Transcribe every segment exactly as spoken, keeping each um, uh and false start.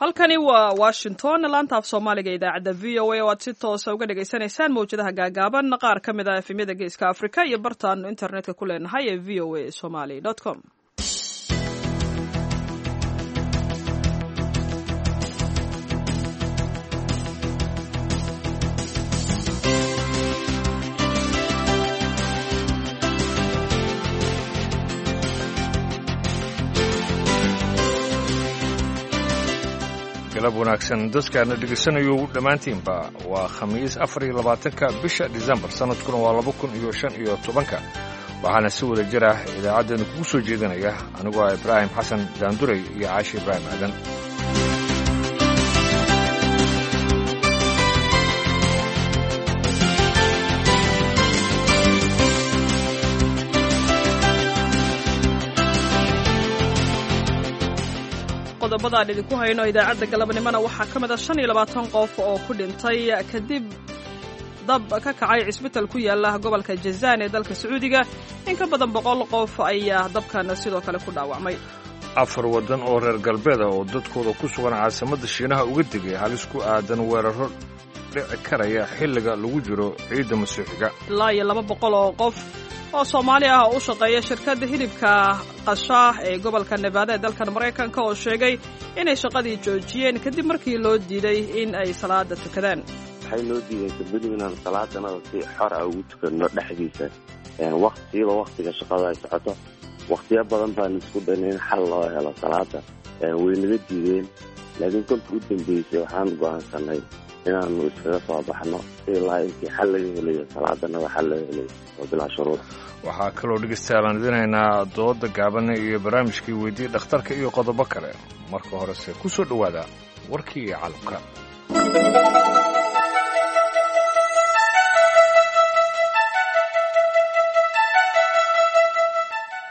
Halkani waa Washington, laanta af Soomaaliga, idaacadda V O A, oo aad si toosa uga dhagaysanaysaan mawjadaha gaagaaban, qaar ka mid ah F M-yada Geeska Afrika iyo bartaanu internetka ku leenahay ee V O A Somali com. Galab wanaagsan dadkaana dhegaysanayo dhammaantiinba. Waa Khamiis, afar iyo labaatanka bisha Disembar, sanadkuna waa laba kun iyo shan iyo tobanka. Waxaana si wada jir ah idaacaddeena kugu soo jeedinaya anigoo ah Ibraahim Xasan Daanduray iyo Caashi Ibraahim Aadan. Qodobadaan idinku hayno idaacadda galabnimona waxaa ka mid a shan iyo labaatan qof oo ku dhintay kadib dab ka kacay cisbital ku yaala gobolka Jazaan ee dalka Sacuudiga. In ka badan boqol qof ayaa dabkan sidoo kale ku dhaawacmay. Afar waddan oo reer galbeeda oo dadkooda ku sugan caasimadda Shiinaha uga digay halis ku aadan weerarro dhici karaya xilliga lagu jiro ciidda Masiixiga. Ilaa iyo laba boqol oo qof oo Soomaali ah oo u shaqeeya shirkadda hilibka qashaah ee gobolka Nevada ee dalkan Maraykanka oo sheegay inay shaqadii joojiyeen kadib markii loo diiday in ay salaada tukadaan. Waxay noo diideen kabadibu inaan salaadanada si xor ah ugu tukanno dhexdiisa, waqtiba waktiga shaqada ay socoto. Wakhtiyo badan baan isku daynay in xal loo helo salaada, way naga diideen. Laakiin kolka u dambeysay waxaan go'aansanay inaanu iskaga soo baxno ilaa intii xal laga helayo salaadanada, xal laga helayo oo bilaa shuruud. Waxaa kaloo dhegeystayaal aan idinhaynaa dooda gaaban iyo barnaamijkii weydii dhakhtarka iyo qodobo kale. Marka horese ku soo dhowaada warkii caalamka.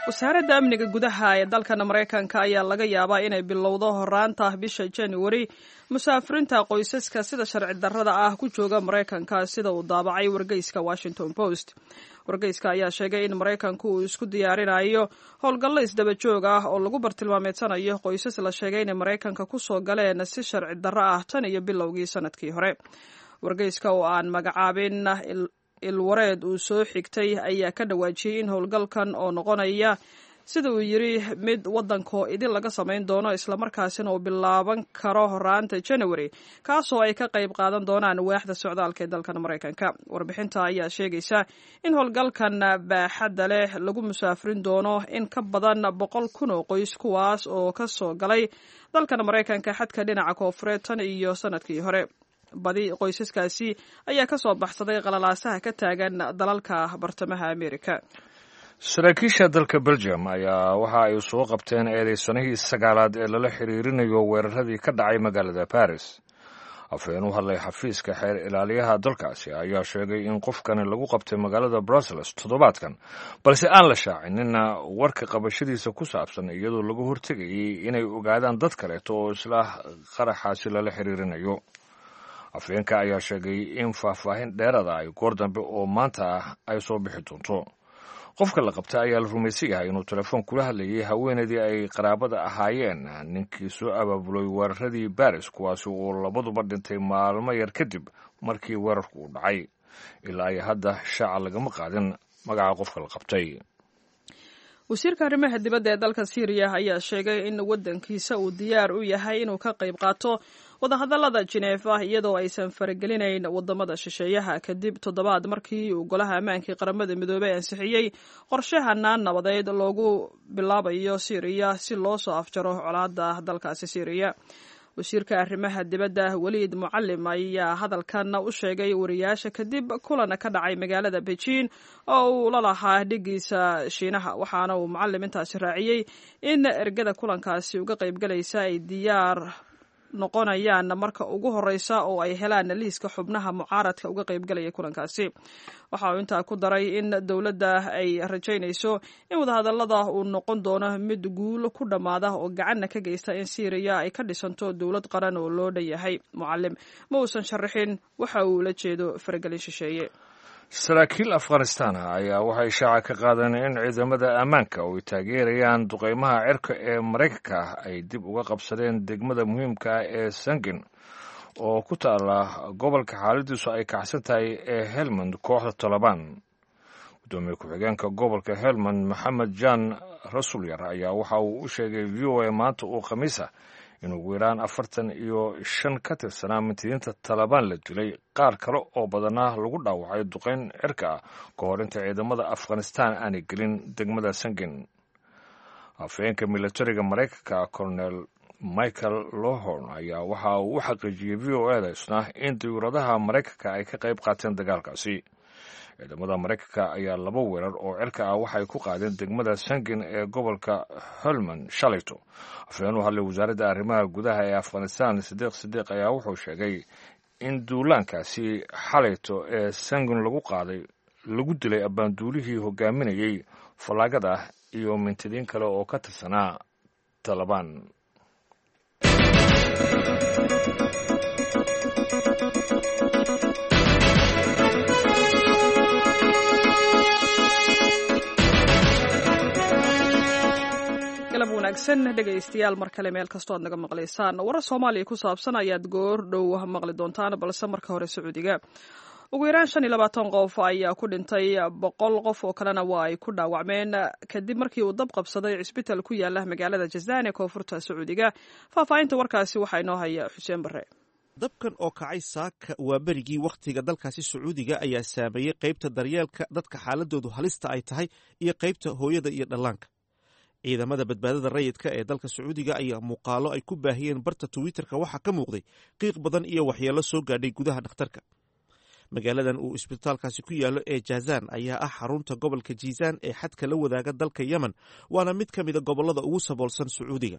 Wasaaradda amniga gudaha ee dalkan Maraykanka ayaa laga yaabaa inay bilowdo horaanta bisha Januari musaafiriinta qoysaska sida sharci darrada ah ku jooga Maraykanka, sida uu daabacay wargeyska Washington Post. Wargeyska ayaa sheegay in Maraykanku uu isku diyaarinayo howlgallo isdaba joog ah oo lagu bartilmaameedsanayo qoysas la sheegay inay Maraykanka kusoo galeen si sharci darro ah tan iyo bilowgii sanadkii hore. Wargeyska oo aan magacaabin ilwareed uu soo xigtay ayaa ka dhawaajiyey in howlgalkan oo noqonaya, sida uu yidri, mid waddankoo idin laga samayn doono, islamarkaasina uu bilaaban karo horaanta January, kaasoo ay ka qayb qaadan doonaan waaxda socdaalka ee dalkan Maraykanka. Warbixinta ayaa sheegaysa in howlgalkan baaxadda leh lagu musaafirin doono in ka badan boqol kun oo qoys, kuwaas oo ka soo galay dalkan Maraykanka xadka dhinaca koofureed tan iyo sanadkii hore. Badi qoysaskaasi ayaa ka soo baxsaday qalalaasaha ka taagan dalalka Bartamaha Amerika. Saraakiisha dalka Belgium ayaa waxa ay soo qabteen eedeysanihii sagaalaad ee lala xiriirinayo weeraradii ka dhacay magaalada Paris. Afhayeen u hadlay xafiiska xeer ilaaliyaha dalkaasi ayaa sheegay in qofkani lagu qabtay magaalada Brussels toddobaadkan, balse aan la shaacinina warka qabashadiisa ku saabsan, iyadoo laga hortegayay inay ogaadaan dad kaleeto oo isla qaraxaasi lala xiriirinayo. Afhayeenka ayaa sheegay in faahfaahin dheerada ay goor dambe oo maanta ah ay soo bixi doonto. Qofka la qabta ayaa la rumaysan yahay inuu telefoon kula hadlayay haweenaydii ay qaraabada ahaayeen ninkii soo abaabulay weeraradii Baris, kuwaasi oo labaduba dhintay maalmo yar kadib markii weerarku uu dhacay. Ilaa ay hadda shaaca lagama qaadin magaca qofka la qabtay. Wasiirka arrimaha dibadda ee dalka Siiriya ayaa sheegay in waddankiisa uu diyaar u yahay inuu ka qayb qaato wadahadallada Jineefa iyadoo aysan faragelinayn waddamada shisheeyaha, kadib toddobaad markii uu Golaha Ammaankii Qaramada Midoobey ansixiyey qorshe hanaan nabadeed loogu bilaabayo Siiriya si loo soo afjaro colaadda dalkaasi Siiriya. Wasiirka arrimaha dibadda Weliid Mucalim ayaa hadalkan u sheegay wariyaasha kadib kulan ka dhacay magaalada Beijing oo uu la lahaa dhigiisa Shiinaha. Waxaana uu Mucalim intaasi raaciyey in ergada kulankaasi uga qaybgalaysa ay diyaar noqonayaan marka ugu horeysa oo ay helaan liiska xubnaha mucaaradka uga qaybgalaya kulankaasi. Waxa uu intaa ku daray in dowladda ay rajaynayso in wadahadallada uu noqon doono mid guul ku dhammaada oo gacanna ka geysta in Siiriya ay ka dhisanto dowlad qaran oo loo dhan yahay. Mucalim ma uusan sharaxin waxa uu la jeedo faragelin shisheeye. Saraakiil Afghanistan ayaa waxay shaaca ka qaadeen in ciidamada ammaanka oo ay taageerayaan duqeymaha cirka ee Maraykanka ay dib uga qabsadeen degmada muhiimka ah ee Sangin oo ku taala gobolka xaaladiisu ay kacsan tahay ee Helmand kooxda Tolobaan. Gudoomiye ku-xigeenka gobolka Helmand Maxamed Jaan Rasulyar ayaa waxa uu u sheegay V O A maanta oo Khamiis ah in ugu yaraan afartan iyo shan ka tirsanaa mintidiinta Talabaan la dilay, qaar kale oo badanaa lagu dhaawacay duqeyn cirka ah ka hor inta ciidamada Afghanistan aanay gelin degmada Sangin. Afhayeenka milatariga Maraykanka Colonel Michael Lohorn ayaa waxa uu u xaqiijiyey V O A da isna in diyuuradaha Maraykanka ay ka qayb qaateen dagaalkaasi. Ciidamada Maraykanka ayaa laba weerar oo cirka ah waxay ku qaadeen degmada Sangin ee gobolka Helmand shalayto. Afhayeen u hadlay wasaaradda arrimaha gudaha ee Afghanistan Sidiiq Sidiiq ayaa wuxuu sheegay in duulaankaasi xalayto ee Sangin lagu qaaday lagu dilay abbaanduulihii hogaaminayey fallaagada iyo mintidiin kale oo ka tirsanaa Talabaan. Galab wanaagsan dhegaystayaal, mar kale meel kastoo aad naga maqlaysaan. Warar Soomaaliya ku saabsan ayaad goor dhow maqli doontaan, balse marka hore Sacuudiga. Ugu yaraan shan iyo labaatan qof ayaa ku dhintay, boqol qof oo kalena waa ay ku dhaawacmeen kadib markii uu dab qabsaday cisbitaal ku yaala magaalada Jazaan ee koonfurta Sacuudiga. Faahfaahinta warkaasi waxaa inoo haya Xuseen Barre. Dabkan oo kacay saaka waa berigii wakhtiga dalkaasi Sacuudiga ayaa saameeyey qaybta daryeelka dadka xaaladoodu halista ay tahay iyo qaybta hooyada iyo dhallaanka. Ciidamada badbaadada rayidka ee dalka Sacuudiga ayaa muuqaalo ay ku baahiyeen barta Twitterka waxaa ka muuqday qiiq badan iyo waxyeello soo gaadhay gudaha dhakhtarka. Magaaladan uu isbitaalkaasi ku yaallo ee Jazaan ayaa ah xarunta gobolka Jiisaan ee xadka la wadaaga dalka Yemen, waana mid ka mida gobollada ugu saboolsan Sacuudiga.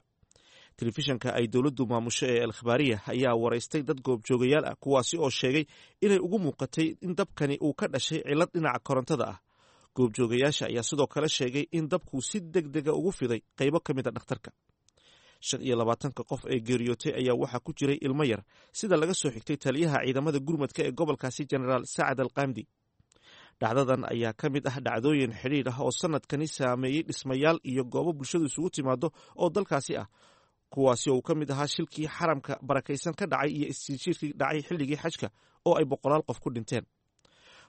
Telefishanka ay dowladdu maamusho ee Alkhabaariya ayaa waraystay dad goobjoogayaal ah, kuwaasi oo sheegay inay ugu muuqatay in dabkani uu ka dhashay cillad dhinaca korontada ah. Goobjoogayaasha ayaa sidoo kale sheegay in dabku si deg dega ugu fiday qaybo ka mid a dhakhtarka. Shan iyo labaatanka qof ee geeriyootay ayaa waxaa ku jiray ilmo yar, sida laga soo xigtay taliyaha ciidamada gurmadka ee gobolkaasi Jenaraal Sacad Alqaamdi. Dhacdadan ayaa ka mid ah dhacdooyin xidhiidh ah oo sanadkani saameeyey dhismayaal iyo goobo bulshadu isugu timaado oo dalkaasi ah, kuwaasi oo uu ka mid ahaa shilkii xaramka barakaysan ka dhacay iyo isjiirjiirkii dhacay xilligii xajka oo ay boqolaal qof ku dhinteen.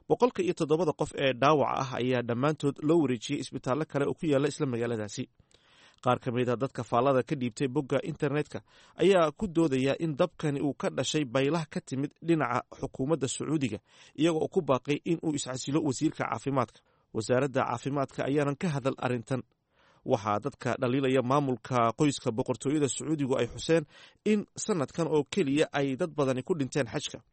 Boqolka iyo toddobada qof ee dhaawaca ah ayaa dhammaantood loo wareejiyey isbitaallo kale oo ku yaalla isla magaaladaasi. Qaar ka mid a dadka faallada ka dhiibtay bogga internetka ayaa ku doodaya in dabkani uu ka dhashay baylah ka timid dhinaca xukuumadda Sacuudiga, iyagoo ku baaqay in uu iscasilo wasiirka caafimaadka. Wasaaradda caafimaadka ayaanan ka hadal arrintan. Waxaa dadka dhaliilaya maamulka qoyska boqortooyada Sacuudigu ay xuseen in sanadkan oo keliya ay dad badani ku dhinteen xajka.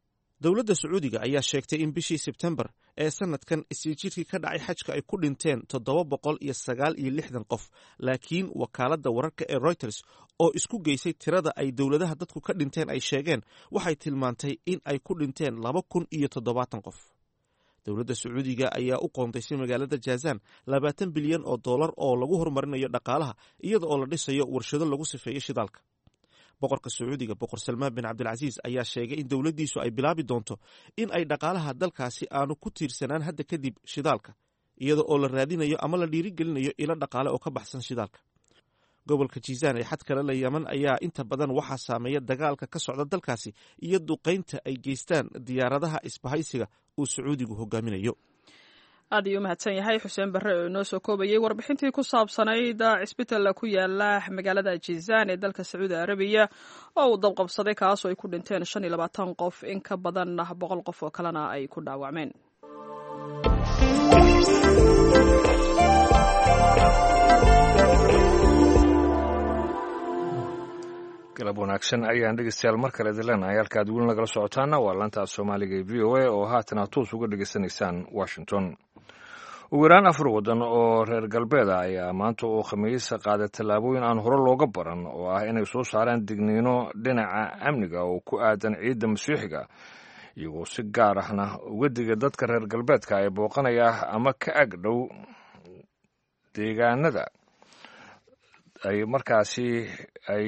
Dowladda Sacuudiga ayaa sheegtay in bishii Sebtembar ee sanadkan isjiirkii ka dhacay xajka ay ku dhinteen toddoba boqol iyo sagaal iyo lixdan qof, laakiin wakaaladda wararka ee Reuters oo isku geysay tirada ay dowladaha dadku ka dhinteen ay sheegeen waxay tilmaantay in ay ku dhinteen laba kun iyo toddobaatan qof. Dowladda Sacuudiga ayaa u qoondaysay magaalada Jazaan labaatan bilyan oo dollar oo lagu horumarinayo dhaqaalaha, iyada oo la dhisayo warshado lagu sifeeyo shidaalka. Boqorka Sacuudiga Boqor Salmaan bin Cabdilcasiis ayaa sheegay in dowladdiisu ay bilaabi doonto in ay dhaqaalaha dalkaasi aanu ku tiirsanaan hadda kadib shidaalka, iyada oo la raadinayo ama la dhiirigelinayo ilo dhaqaale oo ka baxsan shidaalka. Gobolka Jiisaan ee xad kale la Yeman ayaa inta badan waxaa saameeya dagaalka ka socda dalkaasi iyo duqaynta ay geystaan diyaaradaha isbahaysiga uu Sacuudigu hogaaminayo. Aad ayuu umahadsan yahay Xuseen Barre oo inoo soo koobayey warbixintii ku saabsanayd cisbitalla ku yaala magaalada Jizaan ee dalka Sacuudi Arabiya oo uu dabqabsaday, kaasoo ay ku dhinteen shan iyo labaatan qof, in ka badan boqol qof oo kalena ay ku dhaawacmeen. Galab wanaagsan ayaan dhegeystayaal mar kale idin leenahay. Halka aad weli nagala socotaana waa laanta Soomaaliga ee V O A oo haatan aad toos uga dhegeysanaysaan Washington. Ugu yaraan afar waddan oo reer galbeeda ayaa maanta oo Khamiisa qaaday tallaabooyin aan hore looga baran oo ah inay soo saaraan digniino dhinaca amniga oo ku aadan ciidda Masiixiga, iyagoo si gaar ahna uga diga dadka reer galbeedka ee booqanaya ama ka ag dhow deegaanada ay markaasi ay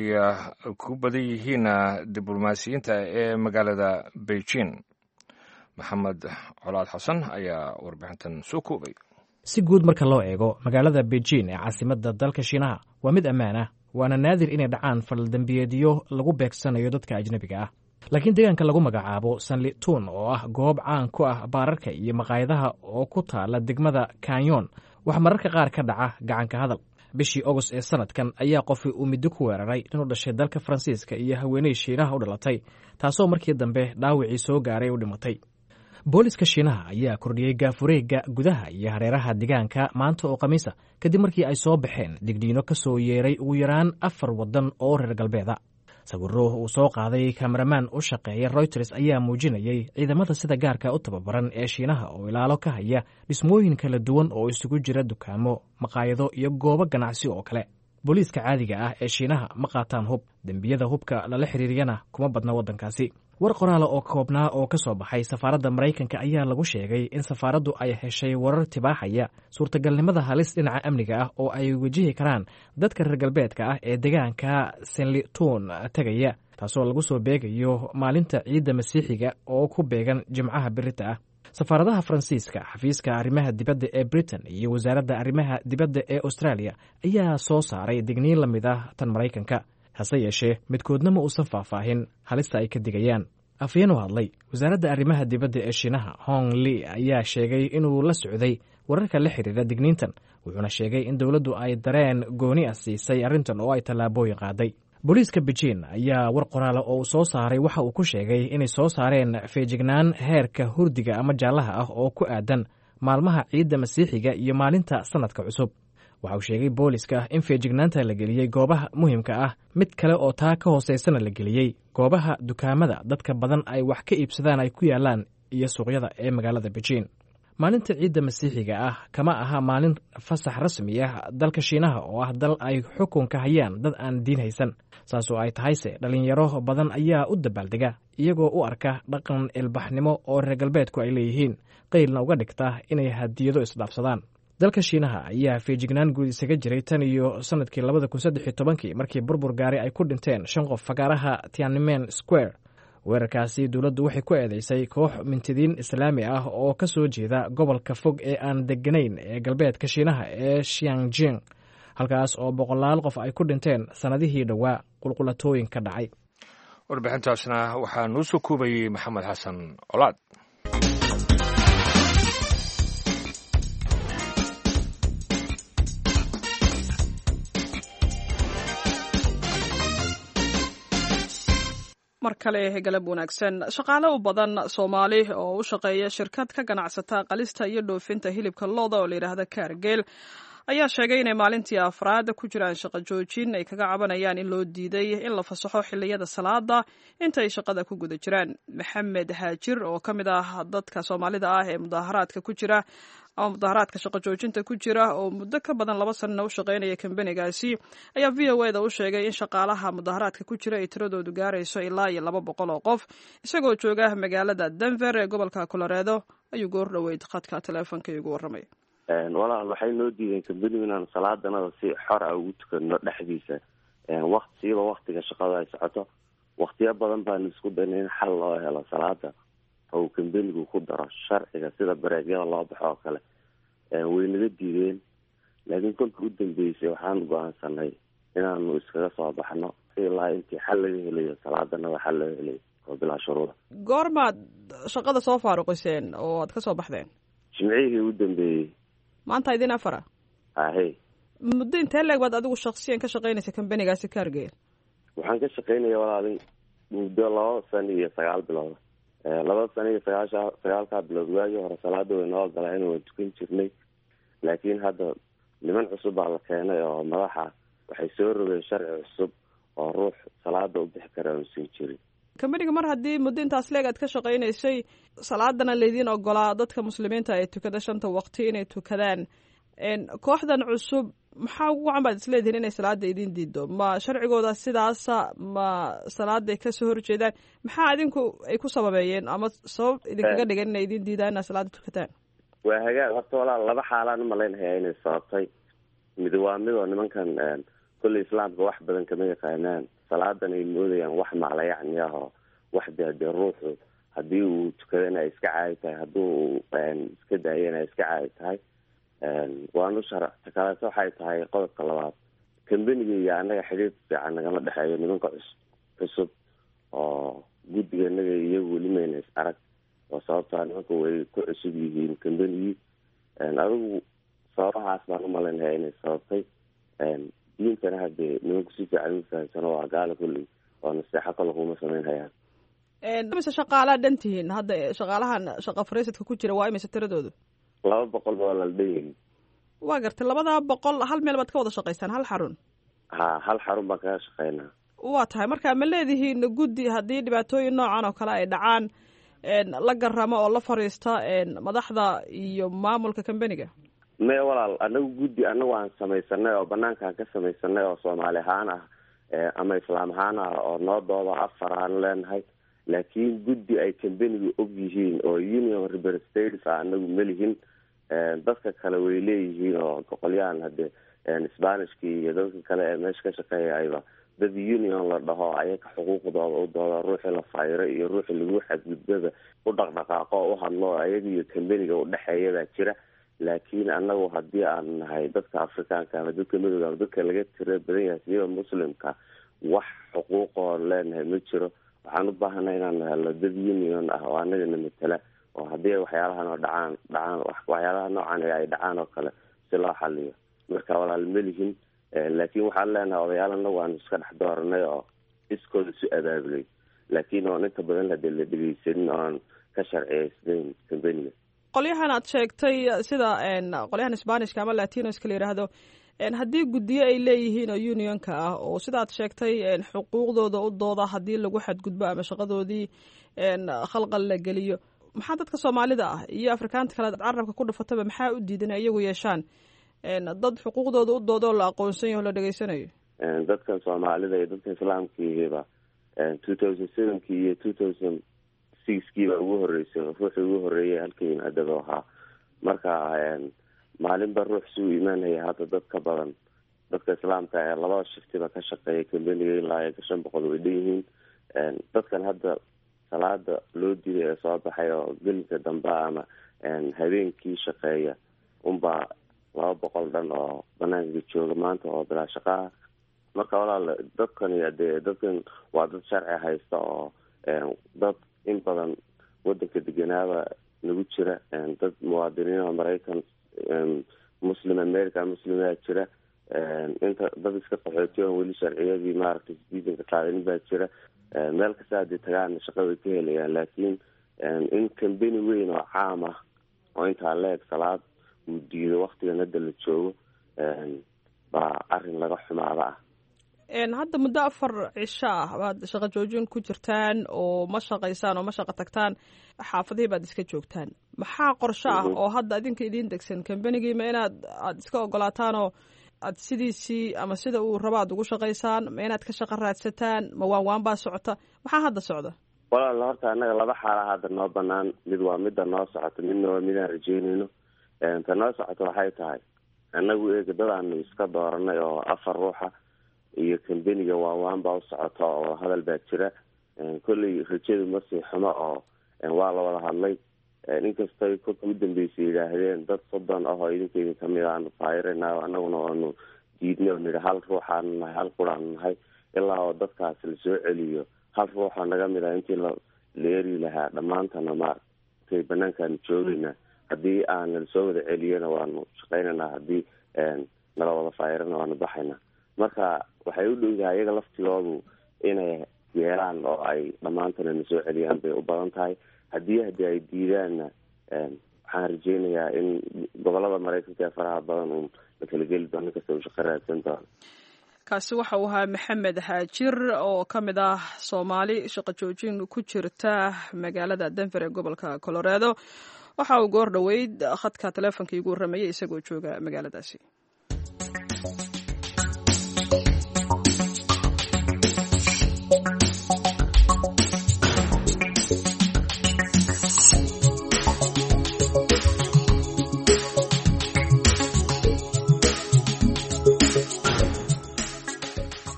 ku badan yihiin diblomaasiyiinta ee magaalada Beijing. Maxamed Colaad Xasan ayaa warbixintan soo koobay. Si guud marka loo eego, magaalada Beijing ee caasimadda dalka Shiinaha waa mid ammaan ah, waana naadir inay dhacaan faldambiyeedyo lagu beegsanayo dadka ajnebiga ah. Laakiin deegaanka lagu magacaabo Sanlitun, oo ah goob caan ku ah baararka iyo maqaayadaha oo ku taala degmada Kanyon, waxaa mararka qaar ka dhaca gacanka hadal. Bishii Ogost ee sanadkan ayaa qofi uu middo ku weeraray inuu dhashay dalka Faransiiska iyo haweeney Shiinaha u dhalatay, taasoo markii dambe dhaawacii soo gaaray u dhimatay. Booliska Shiinaha ayaa kordhiyey gaafureega gudaha iyo hareeraha deegaanka maanta oo Khamiisa, kadib markii ay soo baxeen digniino ka soo yeeray ugu yaraan afar waddan oo reer galbeeda. Sawiro uu soo qaaday kameramaan u shaqeeya Reuters ayaa muujinayay ciidamada sida gaarka u tababaran ee Shiinaha oo ilaalo ka haya dhismooyin kala duwan oo isugu jira dukaamo, maqaayado iyo goobo ganacsi oo kale. Booliiska caadiga ah ee Shiinaha ma qaataan hub, dembiyada hubka lala xiriiriyana kuma badna waddankaasi. War qoraala oo koobnaa oo ka soo baxay safaaradda Maraykanka ayaa lagu sheegay in safaaraddu ay heshay warar tibaaxaya suurtagalnimada halis dhinaca amniga ah oo ay wajihi karaan dadka reer galbeedka ah ee deegaanka Senlitun tegaya, taasoo lagu soo beegayo maalinta ciidda Masiixiga oo ku beegan Jimcaha birita ah. Safaaradaha Faransiiska, xafiiska arrimaha dibadda ee Britain iyo wasaaradda arrimaha dibadda ee Australia ayaa soo saaray digniin la mid ah tan Maraykanka. Hase yeeshee, midkoodna ma uusan faahfaahin halista ay ka digayaan. Afhayeen u hadlay wasaaradda arrimaha dibadda ee Shiinaha, Hong Li, ayaa sheegay inuu la socday wararka la xiriira digniintan, wuxuuna sheegay in dowladdu ay dareen gooni ah siisay arrintan oo ay tallaabooyin qaaday. Booliiska Beijing ayaa war qoraala oo uu soo saaray waxa uu ku sheegay inay soo saareen feejignaan heerka hurdiga ama jaallaha ah oo ku aadan maalmaha ciidda Masiixiga iyo maalinta sanadka cusub. Waxa uu sheegay booliska in feejignaanta la geliyey goobaha muhiimka ah, mid kale oo taa ka hooseysana la geliyey goobaha dukaamada dadka badan ay wax ka iibsadaan ay ku yaalaan iyo suuqyada ee magaalada Beijing. Maalinta ciidda Masiixiga ah kama aha maalin fasax rasmi ah dalka Shiinaha, oo ah dal ay xukunka hayaan dad aan diin haysan. Saasoo ay tahayse, dhalinyaro badan ayaa u dabaaldega iyagoo u arka dhaqan ilbaxnimo oo reer galbeedku ay leeyihiin, qeylna uga dhigta inay hadiyado isdhaafsadaan. Dalka Shiinaha ayaa feejignaan guud isaga jiray tan iyo sanadkii labada kun saddex iyo tobankii, markii burbur gaari ay ku dhinteen shan qof fagaaraha Tiananmen Square. Weerarkaasi dowladdu waxay ku eedeysay koox mintidiin Islaami ah oo ka soo jeeda gobolka fog ee aan deganayn ee galbeedka Shiinaha ee Xiangjing, halkaas oo boqolaal qof ay ku dhinteen sannadihii dhowaa qulqulatooyin ka dhacay. Warbixintaasna waxaa noo soo koobayey Maxamed Xasan Colaad. Mar kale galab wanaagsan. Shaqaale u badan Soomaali oo u shaqeeya shirkad ka ganacsata qalista iyo dhoofinta hilibka lo'da oo la yidhaahda Kaargeel ayaa sheegay inay maalintii afraad ku jiraan shaqo joojin ay kaga cabanayaan in loo diiday in la fasaxo xilliyada salaada inta ay shaqada ku guda jiraan. Maxamed Haajir oo ka mid ah dadka Soomaalida ah ee mudaharaadka ku jira ama mudaharaadka shaqo joojinta ku jira, oo muddo ka badan laba sanana u shaqaynaya kambanigaasi, ayaa V O A da u sheegay in shaqaalaha mudaharaadka ku jira ay tiradoodu gaarayso ilaa iyo laba boqol oo qof. Isagoo jooga magaalada Denver ee gobolka Coloredo ayuu goor dhoweyd khadka taleefonka igu warramay. Walaal, waxay noo diideen kambanigu inaan salaadanada si xor ah ugu tukano dhexdiisa, waqtiiba waktiga shaqada ay socoto. Waktiyo badan baanu isku daynay in xal loo helo salaada oo uu kambanigu ku daro sharciga sida bareegyada loo baxo oo kale, way naga diideen. Laakiin kolka u dambeysay waxaan go-aansanay inaanu iskaga soo baxno ilaa intii xal laga helayo salaadanada, xal laga helayo oo bilaa shuruuda. Goormaad shaqada soo faaruqiseen oo aad ka soo baxdeen? Jimcihii u dambeeyey. Maanta idin afara. Ahe. Muddo intee leeg baad adigu shaksiyan ka shaqaynaysa kambanigaasi Kaargeel? Waxaan ka shaqaynaya, walaalin, muddo laba sano iyo sagaal bilood. Laba sano iyo sagaasha sagaalkaa bilood waagii hore salaada way noo ogolaa in waan tukan jirnay, laakiin hadda niman cusub baa la keenay oo madaxa waxay soo rogeen sharci cusub oo ruux salaada u bixi kara uusan jirin. Kambaniga mar haddii muddo intaas leeg aad ka shaqaynaysay, salaadana laydiin ogolaa dadka Muslimiinta ee tukada shanta waqti inay tukadaan, kooxdan cusub maxaa ugu wacan baad isleedihiin inay salaada idin diido? Ma sharcigooda sidaasa? Ma salaaday kasoo horjeedaan? Maxaa idinku ay ku sababeeyeen ama sabab idinkaga dhigan inay idin diidaan inaad salaada tukataan? Waa hagaag. Horta walaal, laba xaalaan umalaynhayaa inay sababtay. Mid waa midoo nimankan kolley Islaamka wax badan kama yaqaanaan, salaadan ay moodayaan wax maclayacni ah oo wax dee dee ruuxu Haddii uu tukadana ay iska caadi tahay, haddii uu iska daayana ay iska caadi tahay. Waanu sharax kaleeto waxay tahay qodobka labaad, kambaniga iyo annaga xidhiir fiican nagama dhexeeyo. Nimanka cus cusub oo guddiga inaga iyagu weli mayna is arag, oo sababtaa nimanka way ku cusub yihiin kambanigii. Adigu sababahaas baan umalaynaya inay sababtay. Diintana hadee nimanku si fiican uma fahamsano, waa gaala kolley oo naseexo kale kuma samayn hayaan. Imise shaqaalaa dhan tihiin hadda? Shaqaalahan shaqa fariisadka ku jira waa imise tiradoodu? Laba boqol ba waa la dhan. Waa gartay. Labadaa boqol hal meel baad ka wada shaqaysaan, hal xarun? Ha, hal xarun baan kaga shaqeynaa. Waa tahay. Marka ma leedihiin guddi haddii dhibaatooyin noocan oo kale ay dhacaan la garamo oo la fariista madaxda iyo maamulka kambaniga? Maya walaal, anagu guddi anagu aan samaysanay oo banaankaan ka samaysanay oo soomaali ahaan ah ama islaam ahaan ah oo noo dooda afar aan leenahay, laakiin guddi ay kambaniga og yihiin oo union representatives ah anagu malihin. Dadka kale way leeyihiin oo qolyahan hadee Spanishkii iyo dadka kale ee meesha ka shaqeeya ayba dad union la dhaho, ayaga xuquuqdooda u dooda, ruuxii la fayro iyo ruuxii lagu xadgudbaba u dhaqdhaqaaqo o u hadlo, ayaga iyo kambaniga udhexeeya baa jira. Laakiin anagu haddii aan nahay dadka Afrikaanka ama dadka madowga ama dadka laga tira badan yahay siba Muslimka, wax xuquuqoon leenahay ma jiro. Waxaan u baahanay inaan helno dad union ah oo anagana matala, oo haddii waxyaalahan oo dhacaan dhacaan waxyaalaha noocan ay dhacaan oo kale si loo xaliyo. Marka walaal melihin, laakiin waxaan leenahay odayaal anagu aanu iska dhex dooranay oo iskooda isu abaabulay, laakiin oon inta badan hadee la dhegeysanin oon ka sharciyeysnayn kambaniga. Qolyahan aad sheegtay, sida qolyahan Spanishka ama Latinoska la yidhaahdo, haddii guddiyo ay leeyihiin oo unionka ah oo sida aad sheegtay xuquuqdooda u dooda haddii lagu xadgudbo ama shaqadoodii khalqal la geliyo, maxaa dadka Soomaalida ah iyo Afrikaanta kale carabka ku dhufataba maxaa u diidan inay iyagu yeeshaan dad xuquuqdooda u dooda oo la aqoonsan yaho la dhegeysanayo? Dadkan Soomaalida iyo dadka Islaamkiihiba two thousand sevenkii iyo two thousand sixkii baa ugu horeysay ruuxii ugu horeeyay halka yimaadaba ahaa. Marka maalinba ruux si uu imaanaya. Hadda dad ka badan dadka Islaamka ee labada shiftiba ka shaqeeya kambaniga ilaa iyo shan boqol way dhan yihiin. Dadkan hadda salaada loo diiday ee soo baxay oo gelinka dambe ama habeenkii shaqeeya unbaa laba boqol dhan oo banaanka jooga maanta oo bilaa shaqaha. Marka walaal, dadkani dee dadkan waa dad sharci haysta oo dad in badan wadanka deganaaba nagu jira, dad muwaadiniin oo Maraykan, Muslim America Muslimaa jira, inta dad iska qaxootiy oon weli sharciyadii maaragtay citizenka qaadanin baa jira. Meel kasta haddii tagaana shaqa way ka helayaan, laakiin in kambani weyn oo caam ah oo intaa leeg salaad uu diido waktigan hadda la joogo baa arrin laga xumaada ah. Hadda muddo afar cisho ah baad shaqo joojin ku jirtaan oo ma shaqaysaan oo ma shaqo tagtaan, xaafadihii baad iska joogtaan. Maxaa qorsho ah oo hadda idinka idiin degsan kambanigii? Ma inaad aada iska ogolaataan oo aad sidiisii ama sida uu rabo aad ugu shaqaysaan? Ma inaad ka shaqo raadsataan? Ma waan waan baa socota? Maxaa hadda socda? Walaal, horta annaga laba xaala hadda noo banaan. Mid waa midda noo socoto, midna waa midaan rajeynayno. Ta noo socoto waxay tahay, annagu eega dadaanu iska dooranay oo afar ruuxa iyo kambaniga waawaan baa u socota oo hadal baa jira. Kolley rajadu ma sii xumo oo waa la wada hadlay, inkastay kolka u dambeysay yidhaahdeen dad soddon ah oo idinka idin kamid aanu faayirana, annaguna waanu diidnay oo nidhi hal ruuxaanu nahay, hal quraanu nahay, ilaa oo dadkaas lasoo celiyo hal ruuxoo naga mid ah intii la la eri lahaa dhammaantana maaragtay banaankaanu joogaynaa. Haddii aan lasoo wada celiyana waanu shaqaynaynaa, haddii nala wada faayirana waanu baxaynaa. Marka waxay u dhowdahay iyaga laftigoodu inay yeelaan oo ay dhammaantana na soo celiyaan bay u badan tahay. Haddii haddii ay diidaanna, waxaan rajeynayaa in gobolada Maraykanka ee faraha badan uun la kala geli doono, inkasta uu shaqo raadsan doono. Kaasi waxa uu ahaa Maxamed Haajir oo ka mid ah Soomaali shaqo joojin ku jirta magaalada Denver ee gobolka Colorado. Waxa uu goor dhoweyd khadka taleefonka iigu warramayay isagoo jooga magaaladaasi.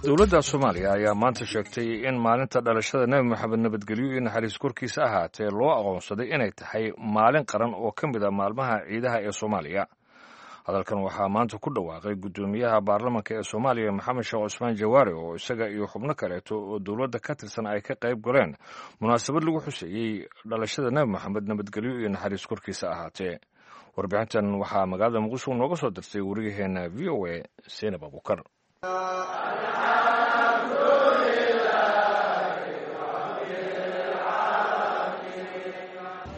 Dowladda Soomaaliya ayaa maanta sheegtay in maalinta dhalashada Nebi Moxamed nabadgelyo iyo naxariis korkiisa ahaatee loo aqoonsaday inay tahay maalin qaran oo ka mid a maalmaha ciidaha ee Soomaaliya. Hadalkan waxaa maanta ku dhawaaqay guddoomiyaha baarlamanka ee Soomaaliya Maxamed Sheekh Cusmaan Jawaare, oo isaga iyo xubno kaleeto oo dowladda ka tirsan ay ka qayb galeen munaasabad lagu xuseeyey dhalashada Nebi Moxamed nabadgelyo iyo naxariis korkiisa ahaatee. Warbixintan waxaa magaalada Muqdisho nooga soo dirtay wariyaheena V O A Seenab Abukar.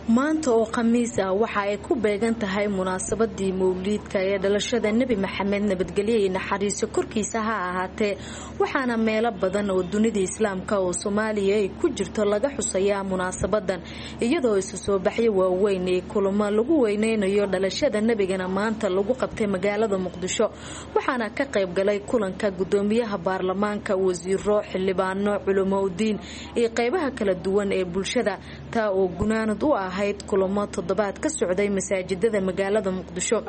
Maanta oo Khamiis ah waxa ay ku beegan tahay munaasabadii mawliidka ee dhalashada Nebi Maxamed nabadgelyo iyo naxariiso korkiisa ha ahaatee, waxaana meelo badan oo dunida islaamka oo Soomaaliya ay ku jirto laga xusayaa munaasabadan, iyadoo isu soo baxyo waaweyn ee kulamo lagu weyneynayo dhalashada nebigana maanta lagu qabtay magaalada Muqdisho. Waxaana ka qayb galay kulanka gudoomiyaha baarlamaanka, wasiiro, xildhibaano, culamo udiin iyo qaybaha kala duwan ee bulshada, taa oo gunaanad u ah ahayd kulamo toddobaad ka socday masaajidada magaalada Muqdisho.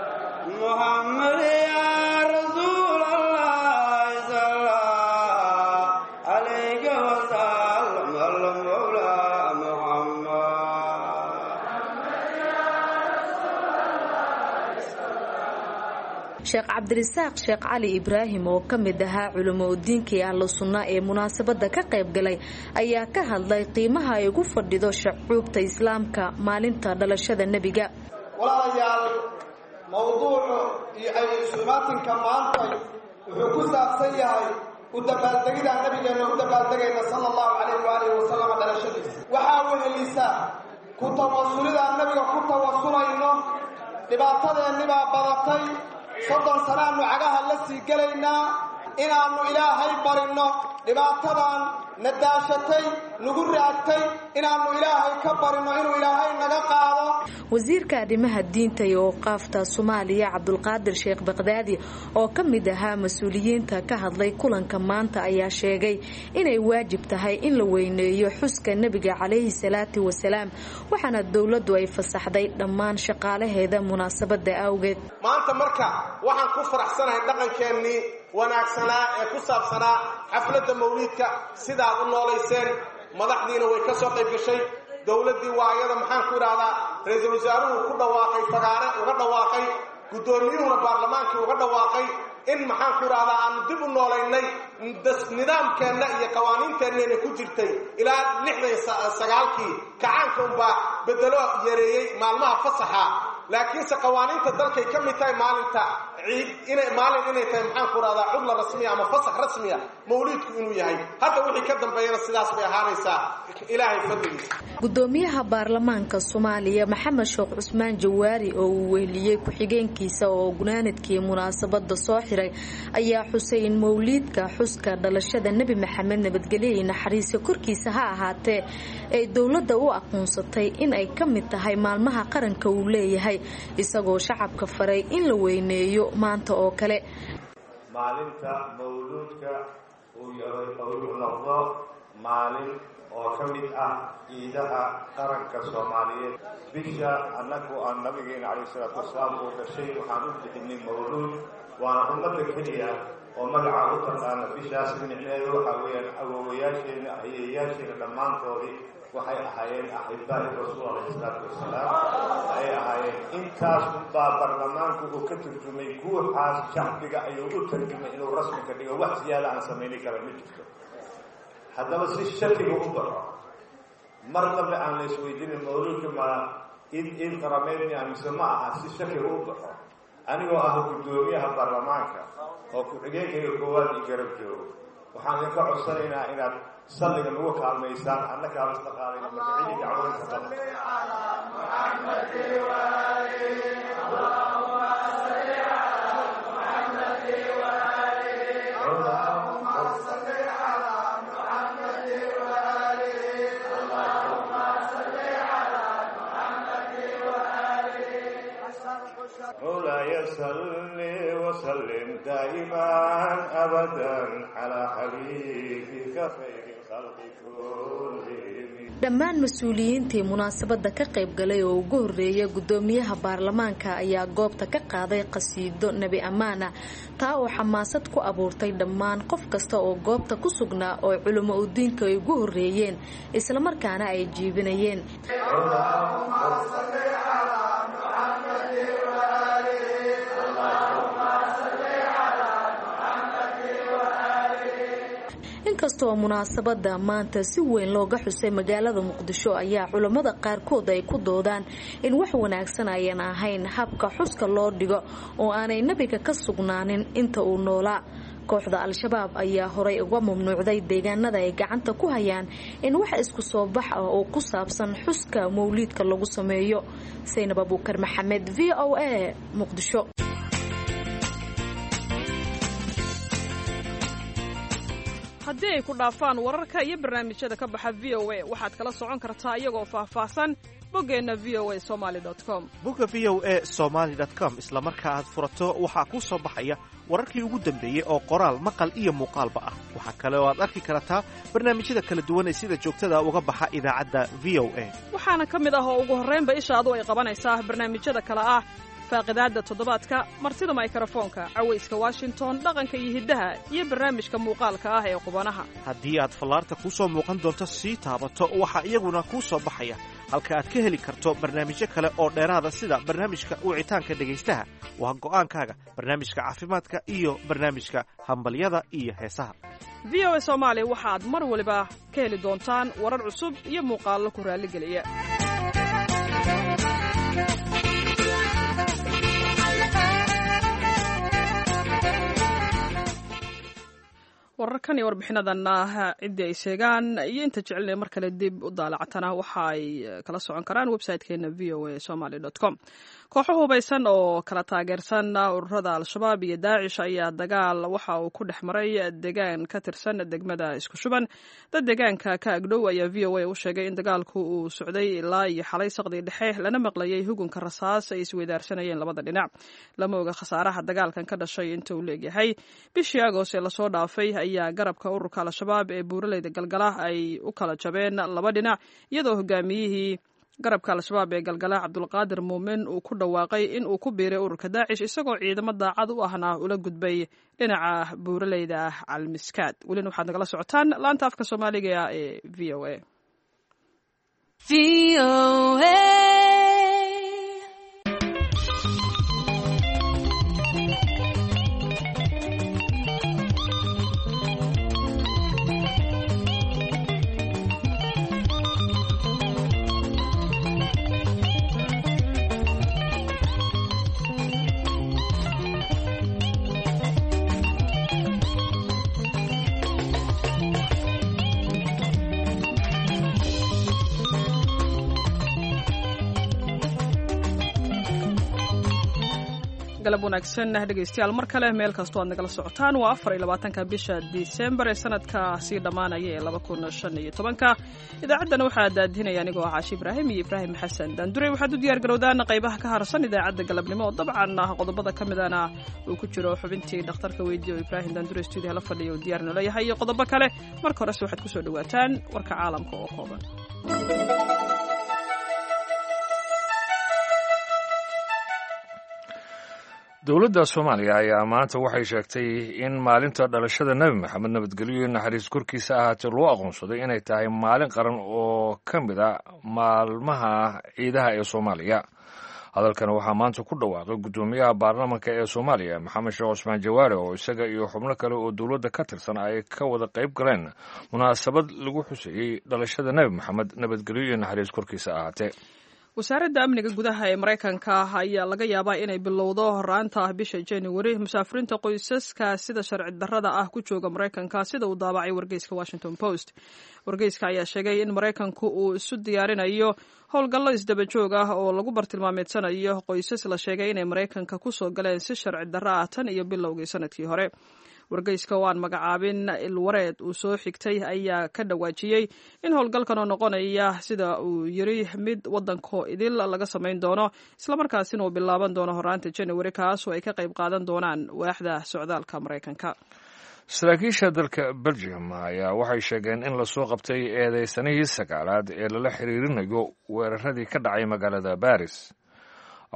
Sheekh Cabdirasaaq Sheekh Cali Ibraahim oo ka mid ahaa culamo udiinkii Ahlu Sunna ee munaasabada ka qayb galay ayaa ka hadlay qiimaha ay ugu fadhido shacuubta islaamka maalinta dhalashada nebiga. Walaalayaal, mowduucu iyo ay isumaatinka maantay wuxuu ku saabsan yahay u dabaaldegida nabigeena u dabaaldegayna sala allahu calayhi waalihi wasalam dhalashadiisa. Waxaa wehelisa ku tawasulida nabiga ku tawasulayno, dhibaatadeennibaa badatay, soddon sanaannu cagaha la sii gelaynaa inaannu Ilaahay barinno dhibaatadan na daashatay nagu raagtay, inaannu Ilaahay ka barinno inuu Ilaahay naga qaado. Wasiirka arrimaha diinta iyo awqaafta Soomaaliya Cabdulqaadir Sheekh Baqdaadi oo ka mid ahaa mas-uuliyiinta ka hadlay kulanka maanta ayaa sheegay inay waajib tahay in la weyneeyo xuska nebiga calayhi salaatu wasalaam, waxaana dowladdu ay fasaxday dhammaan shaqaalaheeda munaasabada awgeed. Maanta marka waxaan ku faraxsanahay dhaqankeennii wanaagsanaa ee ku saabsanaa xafladda mawliidka sidaad u noolayseen, madaxdiina way ka soo qayb gashay, dowladdii waa ayada maxaan ku idhaahdaa ra-iisul wasaaruhu ku dhawaaqay, fagaare uga dhawaaqay, guddoomiyuhuna baarlamaankii uga dhawaaqay in maxaan ku idhahdaa aanu dib u noolaynay nidaamkeenna iyo qawaaniinteennayna ku jirtay ilaa lixdan sagaalkii kacaanka unbaa bedelo yareeyey maalmaha fasaxa, laakiinse qawaaniinta dalkay ka mid tahay maalinta ciid inay maalin inay tahay maxaan ku idhahdaa cudla rasmiya ama fasax rasmiya mawliidku inuu yahay. Hadda wixii ka dambeeyana sidaas bay ahaanaysaa Ilaahay fadligiisa. Gudoomiyaha baarlamaanka Soomaaliya Maxamed Sheekh Cusmaan Jawaari oo uu weheliyey ku-xigeenkiisa oo gunaanadkii munaasabada soo xiray ayaa xusay in mawliidka xuska dhalashada Nebi Maxamed nabadgelyo iyo naxariisa korkiisa ha ahaatee ay dowladda u aqoonsatay in ay ka mid tahay maalmaha qaranka uu leeyahay, isagoo shacabka faray in la weyneeyo maanta oo kale. Maalinta mawluudka uu uu noqdo maalin oo ka mid ah ciidaha qaranka Soomaaliyeed. Bisha annagu aan nabigeena calayhi salaatu wasalaam uu dhashay waxaan u bixinay mawluud, waana ummadda keliya oo magaca u taqaana bishaas. Micneheedu waxaa weeyaan awowayaasheena ayeeyaasheena dhammaantoodii waxay ahaayeen axibaa'i rasuul calayhi salaatu wasalaam ayay ahaayeen. Intaas unbaa baarlamaanku uu ka turjumay, guuxaas shacbiga ayuu u tarjumay inuu rasmi ka dhigo, wax siyaada aan samayni kara ma jirto. Haddaba si shakiga u baxo, mar dambe aan la isweydiinin mawluudka ma iid iid qarameed miya mise ma aha, si shakiga u baxo, anigoo ah guddoomiyaha baarlamaanka oo ku-xigeenkayga koowaad iyo garab joogo, waxaan idinka codsanaynaa inaad salliga nagu kaalmaysaan, annagaa isla qaadayna marka cidii dacwooyinka qaba. مولاي صل وسلم دائما أبدا على حبيبك خير الخلق كلهم. Dhammaan mas-uuliyiintii munaasabadda ka qayb galay oo ugu horreeyay guddoomiyaha baarlamaanka ayaa goobta ka qaaday qasiido nebi ammaana, taa oo xamaasad ku abuurtay dhammaan qof kasta oo goobta ku sugnaa oo culimo udiinka ay ugu horreeyeen islamarkaana ay jiibinayeen. Inkastoo munaasabada maanta si weyn looga xusay magaalada Muqdisho, ayaa culammada qaarkood ay ku doodaan in wax wanaagsan ayan ahayn habka xuska loo dhigo oo aanay nebiga ka sugnaanin inta uu noolaa. Kooxda Al-Shabaab ayaa horay uga mamnuucday deegaanada ay gacanta ku hayaan in wax isku soo bax ah oo ku saabsan xuska mawliidka lagu sameeyo. Saynab Abuukar Maxamed, V O A, Muqdisho. Haddii ay ku dhaafaan wararka iyo barnaamijyada ka baxa V O A, waxaad kala socon kartaa iyagoo faahfaahsan boggeenna V O A somaly com. Bogga V O A somaly com isla marka aad furato waxaa kuu soo baxaya wararkii ugu dambeeyey oo qoraal, maqal iyo muuqaalba ah. Waxaa kale oo aad arki kartaa barnaamijyada kala duwan ee sida joogtada uga baxa idaacadda V O A. Waxaana ka mid ah oo ugu horraynba ishaadu ay qabanaysaa barnaamijyada kale ah faaqidaadda toddobaadka, martida maykarafoonka, cawayska Washington, dhaqanka iyo hiddaha, iyo barnaamijka muuqaalka ah ee qubanaha. Haddii aad fallaarta kuu soo muuqan doonto sii taabato, waxaa iyaguna kuu soo baxaya halka aad ka heli karto barnaamijyo kale oo dheeraada sida barnaamijka wicitaanka dhegaystaha, waa go'aankaaga, barnaamijka caafimaadka iyo barnaamijka hambalyada iyo heesaha. V O A Soomaali waxaad mar waliba ka heli doontaan warar cusub iyo muuqaallo ku raalligeliya. Wararkan iyo warbixinadanna ciddii ay sheegaan iyo inta jecelina mar kale dib u daalacatana waxa ay kala socon karaan website-keena V O A somaly com. Kooxo hubaysan oo kala taageersan ururada Al-Shabaab iyo Daacish ayaa dagaal waxa uu ku dhex maray deegaan ka tirsan degmada Isku Shuban. Dad deegaanka ka agdhow ayaa V O A u sheegay in dagaalku uu socday ilaa iyo xalay saqdii dhexe, lana maqlayay hugunka rasaas ay isweydaarsanayeen labada dhinac. Lama oga khasaaraha dagaalkan ka dhashay inta uu leegyahay. Bishii Agost ee lasoo dhaafay ayaa garabka ururka Al-Shabaab ee buuraleyda Galgala ay u kala jabeen laba dhinac, iyadoo hogaamiyihii garabka Al-Shabaab ee Galgala Cabdulqaadir Muumin uu ku dhawaaqay in uu ku biiray ururka Daacish, isagoo ciidamo daacad u ahna ula gudbay dhinaca buuraleyda Calmiskaad. Welina waxaad nagala socotaan laanta afka Soomaaliga ee V O A. Galab wanaagsan dhegeystayaal, mar kale meel kastoo aad nagala socotaan. Waa afar iyo labaatanka bisha Disembar ee sanadka sii dhammaanaya ee laba kun shan iyo tobanka. Idaacaddana waxaa daadinaya anigoo ah Caashi Ibraahim iyo Ibraahim Xasan Daandurey. Waxaad u diyaar garowdaan qaybaha ka harsan idaacadda galabnimo oo dabcan ah qodobada ka midana uu ku jiro xubintii dhakhtarka weydiiya oo Ibraahim Daandurey stuudiyaha la fadhiya uu diyaar noo leeyahay iyo qodobo kale. Marka horese waxaad kusoo dhawaataan warka caalamka oo kooban. Dowladda Soomaaliya ayaa maanta waxay sheegtay in maalinta dhalashada Nebi Maxamed nabadgelyo iyo naxariis korkiisa ahaatee loo aqoonsaday inay tahay maalin qaran oo ka mid a maalmaha ciidaha ee Soomaaliya. Hadalkan waxaa maanta ku dhawaaqay guddoomiyaha baarlamaanka ee Soomaaliya Maxamed Sheekh Cusmaan Jawaare, oo isaga iyo xubno kale oo dowladda ka tirsan ay ka wada qayb galeen munaasabad lagu xuseeyey dhalashada Nebi Maxamed nabadgelyo iyo naxariis korkiisa ahaatee. Wasaaradda amniga gudaha ee Maraykanka ayaa laga yaabaa inay bilowdo horaanta bisha January musaafiriinta qoysaska sida sharci darrada ah ku jooga Maraykanka, sida uu daabacay wargeyska Washington Post. Wargeyska ayaa sheegay in Maraykanku uu isu diyaarinayo howlgallo isdaba joog ah oo lagu bartilmaameedsanayo qoysas la sheegay inay Maraykanka ku soo galeen si sharci darro ah tan iyo bilowgii sanadkii hore. Wargeyska oo aan magacaabin ilwareed uu soo xigtay ayaa ka dhawaajiyey in howlgalkan oo noqonaya sida uu yiri mid waddanko idil laga samayn doono, islamarkaasina uu bilaaban doono horaanta January, kaas oo ay ka qayb qaadan doonaan waaxda socdaalka Maraykanka. Saraakiisha dalka Belgium ayaa waxay sheegeen in lasoo qabtay eedeysanihii sagaalaad ee lala xiriirinayo weeraradii ka dhacay magaalada Baris.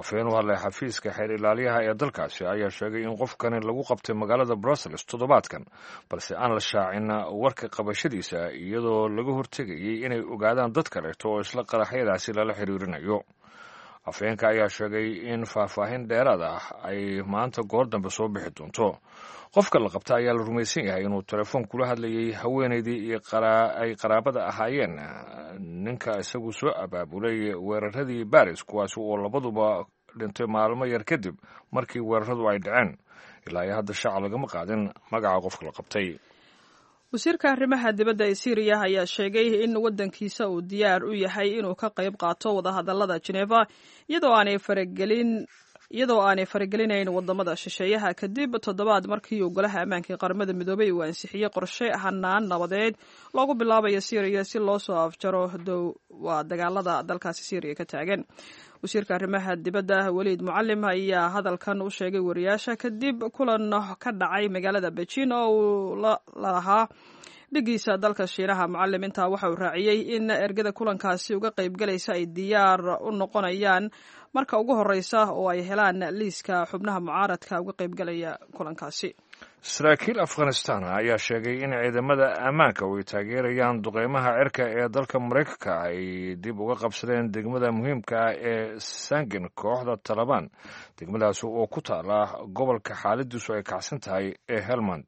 Afhayeen u hadlay xafiiska xeer ilaaliyaha ee dalkaasi ayaa sheegay in qofkani lagu qabtay magaalada Brussels toddobaadkan, balse aan la shaacin warka qabashadiisa, iyadoo laga hortegayay inay ogaadaan dad kaleeto oo isla qaraxyadaasi lala xiriirinayo. Afhayeenka ayaa sheegay in faahfaahin dheeraad ah ay maanta goor dambe soo bixi doonto. Qofka la qabta ayaa la rumaysan yahay inuu telefoon kula hadlayay haweenaydii iyo ay qaraabada ahaayeen ninka isagu soo abaabulay weeraradii Baris, kuwaasi oo labaduba dhintay maalmo yar kadib markii weeraradu ay dhaceen. Ilaa iyo hadda shaaca lagama qaadin magaca qofka la qabtay. Wasiirka arrimaha dibadda ee Siiriya ayaa sheegay in waddankiisa uu diyaar u yahay inuu ka qayb qaato wadahadallada Geneva, iyadoo aanay faragelin iyadoo aanay faragelinayn wadamada shisheeyaha, kadib toddobaad markii uu Golaha Ammaanka ee Qaramada Midoobay uu ansixiyey qorshe hanaan nabadeed loogu bilaabayo Siiriya si loo soo afjaro dow waa dagaalada dalkaasi Siiriya ka taagan. Wasiirka arrimaha dibadda Weliid Mucalim ayaa hadalkan u sheegay wariyaasha kadib kulan ka dhacay magaalada Beijing oo uu la lahaa dhigiisa dalka Shiinaha. Mucalim intaa waxa uu raaciyey in ergada kulankaasi uga qaybgalaysa ay diyaar u noqonayaan marka ugu horeysa oo ay helaan liiska xubnaha mucaaradka uga qaybgalaya kulankaasi. Saraakiil Afghanistan ayaa sheegay in ciidamada ammaanka oo ay taageerayaan duqeymaha cirka ee dalka Maraykanka ay dib uga qabsadeen degmada muhiimka ah ee Sangin kooxda Talabaan, degmadaasi oo ku taala gobolka xaaladiisu ay kacsan tahay ee Helmand.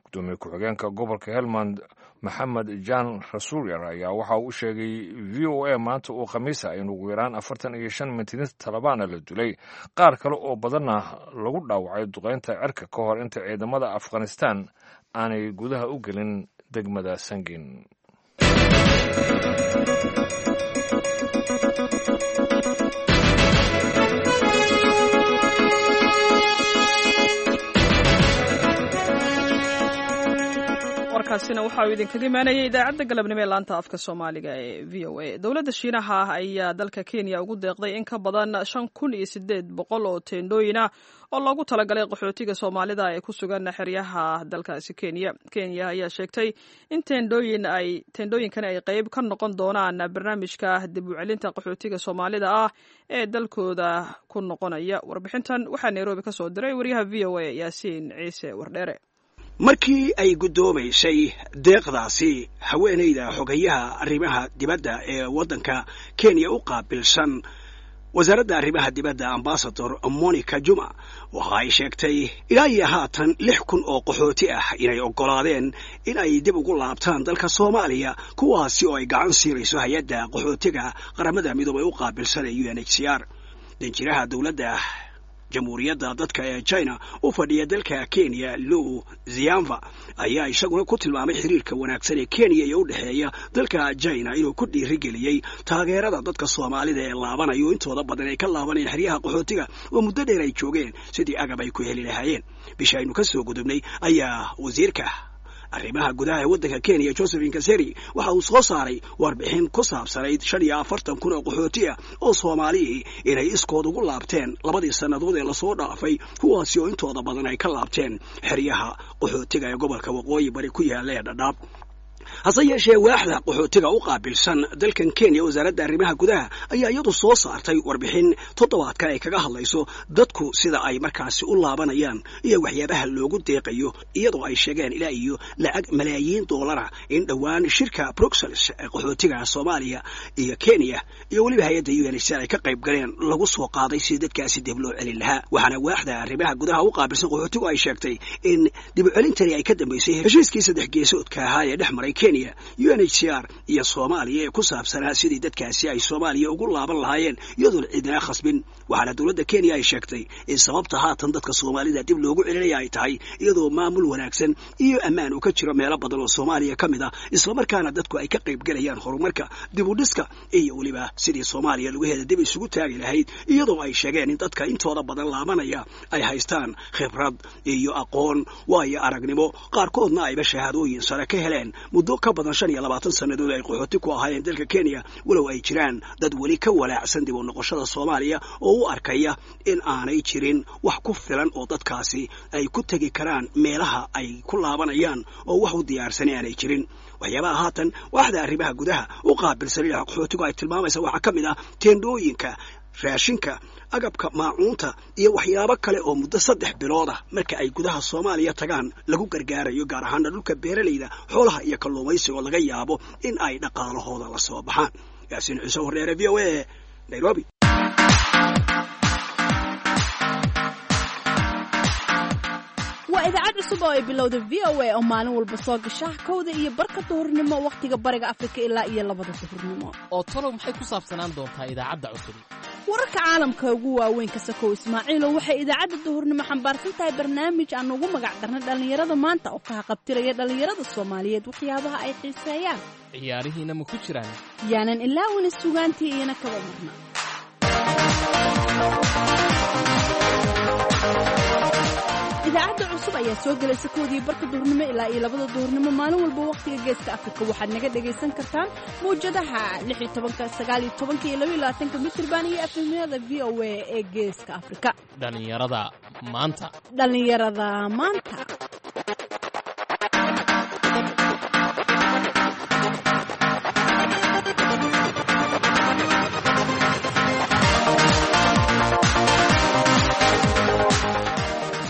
Gudoomiye ku-xigeenka gobolka Helmand Maxamed Jan Rasuulyar ayaa waxa uu u sheegay V O A maanta oo Khamiisa in ugu yaraan afartan iyo shan mintidiinta Talibaana la dilay, qaar kale oo badanna lagu dhaawacay duqeynta cirka ka hor inta ciidamada Afghanistan aanay gudaha u gelin degmada Sangin. Warkaasina waxa uu idinkaga imaanayay idaacadda galabnimo ee laanta afka Soomaaliga ee V O A. Dowladda Shiinaha ah ayaa dalka Kenya ugu deeqday in ka badan shan kun iyo sideed boqol oo teendhooyin ah oo loogu talagalay qaxootiga Soomaalida ee ku sugan xeryaha dalkaasi Kenya. Kenya ayaa sheegtay in teendhooyin ay teendhooyinkan ay qayb ka noqon doonaan barnaamijka dib u celinta qaxootiga Soomaalida ah ee dalkooda ku noqonaya. Warbixintan waxaa Nairobi ka soo diray wariyaha V O A Yaasiin Ciise Wardheere. Markii ay guddoomaysay deeqdaasi, haweenayda xogayaha arrimaha dibadda ee waddanka Kenya u qaabilsan wasaaradda arrimaha dibadda, Ambasador Monica Juma, waxa ay sheegtay ilaa iyo haatan lix kun oo qaxooti ah inay oggolaadeen in ay dib ugu laabtaan dalka Soomaaliya, kuwaasi oo ay gacan siinayso hay-adda qaxootiga Qaramada Midoobay u qaabilsan ee U N H C R. Danjiraha dowladda Jamhuuriyadda Dadka ee China u fadhiya dalka Kenya, Lou Zianva, ayaa isaguna ku tilmaamay xiriirka wanaagsan ee Kenya iyo u dhexeeya dalka China inuu ku dhiirigeliyey taageerada dadka Soomaalida ee laabanayo, intooda badan ay ka laabanayeen xeryaha qaxootiga oo muddo dheer ay joogeen, sidii agab ay ku heli lahaayeen. Bisha aynu ka soo gudubnay ayaa wasiirka arrimaha gudaha ee waddanka Kenya, Josephine Kaseri, waxa uu soo saaray warbixin ku saabsanayd shan iyo afartan kun oo qaxooti ah oo Soomaalihii inay iskood ugu laabteen labadii sannadood ee lasoo dhaafay, kuwaasi oo intooda badan ay ka laabteen xeryaha qaxootiga ee gobolka Waqooyi Bari ku yaalla ee Dhadhaab. Hase yeeshee, waaxda qaxootiga u qaabilsan dalkan Kenya, wasaaradda arrimaha gudaha, ayaa iyadu soo saartay warbixin toddobaadkan ay kaga hadlayso dadku sida ay markaasi u laabanayaan iyo waxyaabaha loogu deeqayo, iyadoo ay sheegeen ilaa iyo lacag malaayiin doolara in dhowaan shirka Bruxelles ee qaxootiga Soomaaliya iyo Kenya iyo weliba hay-adda U N H C R ay ka qayb galeen lagu soo qaaday si dadkaasi dib loo celin lahaa. Waxaana waaxda arrimaha gudaha u qaabilsan qaxootigu ay sheegtay in dib u celintani ay ka dambeysay heshiiskii saddex geesoodka ahaa ee dhex maray Kenya Kenya, U N H C R iyo Soomaaliya ee ku saabsanaa sidii dadkaasi ay Soomaaliya ugu laaban lahaayeen iyadoon cidina khasbin. Waxaana dowladda Kenya ay sheegtay in sababta haatan dadka Soomaalida dib loogu celinaya ay tahay iyadoo maamul wanaagsan iyo ammaan uu ka jiro meelo badan oo Soomaaliya ka mid ah, islamarkaana dadku ay ka qayb galayaan horumarka, dib u dhiska iyo weliba sidii Soomaaliya lugaheeda dib isugu taagi lahayd, iyadoo ay sheegeen in dadka intooda badan laabanaya ay haystaan khibrad iyo aqoon waayo aragnimo, qaarkoodna ayba shahaadooyin sare ka heleen muddo ka badan shan iyo labaatan sannadood ay qaxooti ku ahaayeen dalka Kenya, walow ay jiraan dad weli ka walaacsan dib u noqoshada Soomaaliya oo u arkaya in aanay jirin wax ku filan oo dadkaasi ay ku tegi karaan meelaha ay ku laabanayaan oo wax u diyaarsanay aanay jirin. Waxyaabaha haatan waaxda arrimaha gudaha u qaabilsan dhinaca qaxootigu ay tilmaamaysa waxaa ka mid ah teendhooyinka, raashinka, agabka maacuunta iyo waxyaabo kale oo muddo saddex bilood ah marka ay gudaha Soomaaliya tagaan lagu gargaarayo, gaar ahaana dhulka beeralayda, xoolaha iyo kalluumaysiga oo laga yaabo in ay dhaqaalahooda la soo baxaan. Yaasiin Ciise Horreere, V O A, Nairobi. Waa idaacad cusub oo ay bilowda V O A oo maalin walba soo gasha kowda iyo barka duhurnimo wakhtiga Bariga Afrika ilaa iyo labada duhurnimo. Oo talow maxay ku saabsanaan doontaa idaacadda cusub? Wararka caalamka ugu waaweyn ka sakow Ismaaciilo, waxay idaacadda duhurnimo xambaarsan tahay barnaamij aan ugu magac darnay dhallinyarada maanta oo ka haqabtiraya dhallinyarada Soomaaliyeed waxyaabaha ay xiiseeyaan. Ciyaarihiina ma ku jiraan? Yaanan ilaawina sugaantii iyana kaba marna. Idaacadda cusub ayaa soo gelaysa koodii barka duhurnimo ilaa iyo labada duhurnimo maalin walba wakhtiga Geeska Afrika. Waxaad naga dhagaysan kartaan mawjadaha lix iyo tobanka, sagaal iyo tobanka iyo laba iyo labaatanka mitirban iyo efemyada V O A ee Geeska Afrika. Dhallinyarada maanta. Dhallinyarada maanta.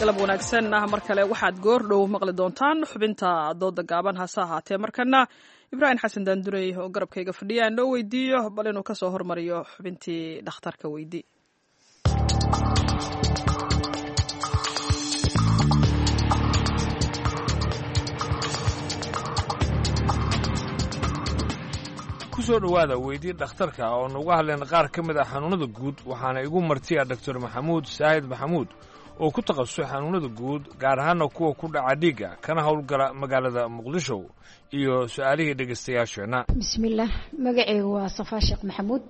Galab wanaagsan ah mar kale waxaad goor dhow maqli doontaan xubinta dooda gaaban, hase ahaatee markana Ibraahim Xasan Daandurey oo garabkayga fadhiya noo weydiiyo bal inuu kasoo hormariyo xubintii dhakhtarka weydii. Kusoo dhowaada weydii dhakhtarka oo nuga hadleen qaar ka mid ah xanuunada guud, waxaana igu martiya Doctor Maxamuud Saahid Maxamuud oo ku takhasusay xanuunada guud, gaar ahaana kuwa ku dhaca dhiigga, kana howlgala magaalada Muqdisho, iyo su-aalihii dhegeystayaasheenna. Bismillaah, magaceygu waa Safaa Sheekh Maxamuud.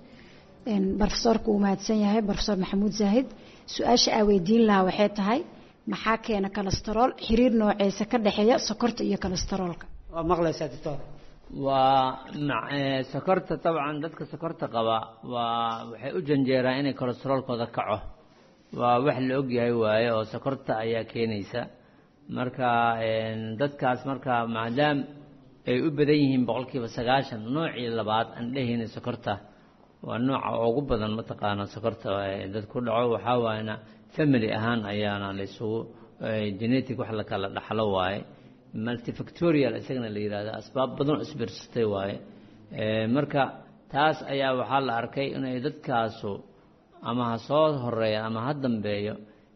Brofesoorku wuu mahadsan yahay, Brofesor Maxamuud Zaahid. Su-aasha aa weydiin lahaa waxay tahay, maxaa keena kolestarool? Xiriir nooceesa ka dhexeeya sokorta iyo kolestaroolka? Waa maqlaysaa doctor? Waa sokorta dabcan dadka sokorta qaba waa waxay u janjeeraan inay kolestaroolkooda kaco, waa wax la ogyahay waaye, oo sokorta ayaa keenaysa. Marka dadkaas marka maadaam ay u badan yihiin boqolkiiba sagaashan noocii labaad aan dhehayna sokorta waa nooca ugu badan mataqaana sokorta dad ku dhaco, waxaa waayna family ahaan ayaana la isugu genetic wax la kala dhaxlo waaye, multifactorial isagana la yidhaahdo, asbaab badan oo isbiirsatay waaye. Marka taas ayaa waxaa la arkay inay dadkaasu ama ha soo horeeya ama ha dambeeyo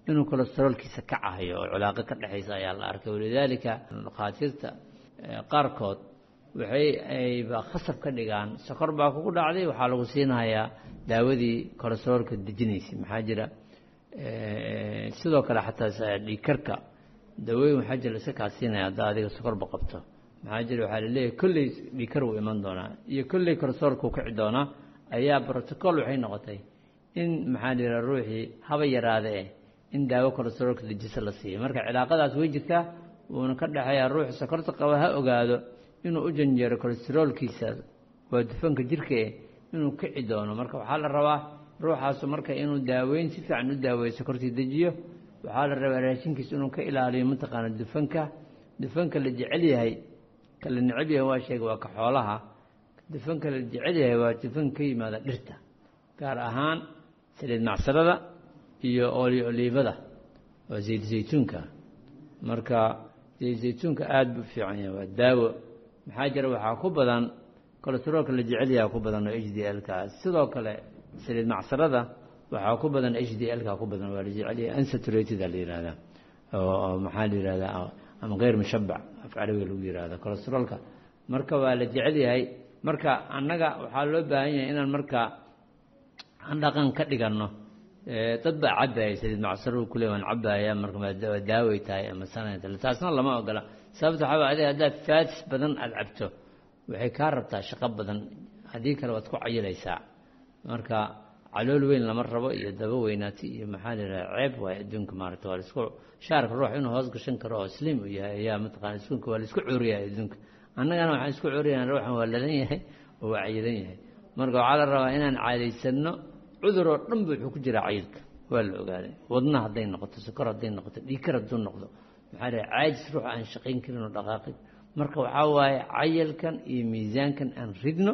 inuu kolestaroolkiisa kacahayo oo cilaaqo ka dhexaysa ayaa la arkay. Walidaalika dhakhaatiirta qaarkood waxay ayba khasab ka dhigaan, sokor baa kugu dhacday, waxaa lagu siinayaa daawadii kolestaroolka dejinaysay. Maxaa jira sidoo kale xataa dhiigkarka dawooyin waxaa jira iska kaa siinaya haddaa adiga sokorba qabto. Maxaa jira waxaa laleeyahay kolley dhiigkar wuu iman doonaa iyo kolley kolestaroolka wuu kici doonaa, ayaa protocol waxay noqotay in maxaa la yidhaha ruuxii haba yaraade eh in daawo kolestaroolka dejisa la siiyo. Marka cilaaqadaas way jirtaa, wuuna ka dhexeeyaa. Ruuxa sokorta qaba ha ogaado inuu u janjeero kolestaroolkiisa, waa dufanka jirka eh, inuu kici doono. Marka waxaa la rabaa ruuxaasu marka inuu daaweyn si fiican u daaweeyo sokortii dejiyo. Waxaa la rabaa raashinkiisa inuu ka ilaaliyo mataqaana dufanka. Dufanka la jecel yahay, ka la neceb yahay waa sheega waa ka xoolaha. Dufanka la jecel yahay waa dufanka ka yimaada dhirta, gaar ahaan saliid macsarada iyo oolyo oliibada oo zayd zaytuunka. Marka zayd zaytuunka aada buu fiican yahay, waa daawo. Maxaa jira waxaa ku badan kolestaroolka la jecel yahay ku badan oo h d l ka. Sidoo kale saliid macsarada waxaa ku badan h d l ka ku badan, waa la jecel yahay, unsaturated la yihahdaa oo maxaa la yihahdaa ama geyr mushabac af carabiga lagu yihahda kolestaroolka Marka waa la jecel yahay. Marka annaga waxaa loo baahan yahay inaan marka aan dhaqan ka dhiganno. Dad baa cabaya saliid macsaruhu kule waan cabaya, marka waa daaway tahay ama sanayta, taasna lama ogola. Sababta waxaa waay adiga haddaad fats badan aada cabto waxay kaa rabtaa shaqo badan, haddii kale waad ku cayilaysaa. Marka calool weyn lama rabo iyo daba weynaati iyo maxaa la yidhaha ceeb waaye adduunka maaragta. Waa laisku shaarka ruux inuu hoos gashan karo oo slim uu yahay ayaa mataqana iskunka waa laisku cuuriyaa adduunka. Annagana waxaan isku cuuriyaa ruuxan waa ladan yahay oo waa cayilan yahay. Marka waxaa la rabaa inaan caadaysanno. Cudur oo dhan ba wuxuu ku jiraa cayilka, waa la ogaaday. Wadna hadday noqoto, sokor hadday noqoto, dhiigkar hadduu noqdo, maxaa la caajis ruux aan shaqayn karin oo dhaqaaqin. Marka waxaa waaye cayilkan iyo miisaankan aan ridno,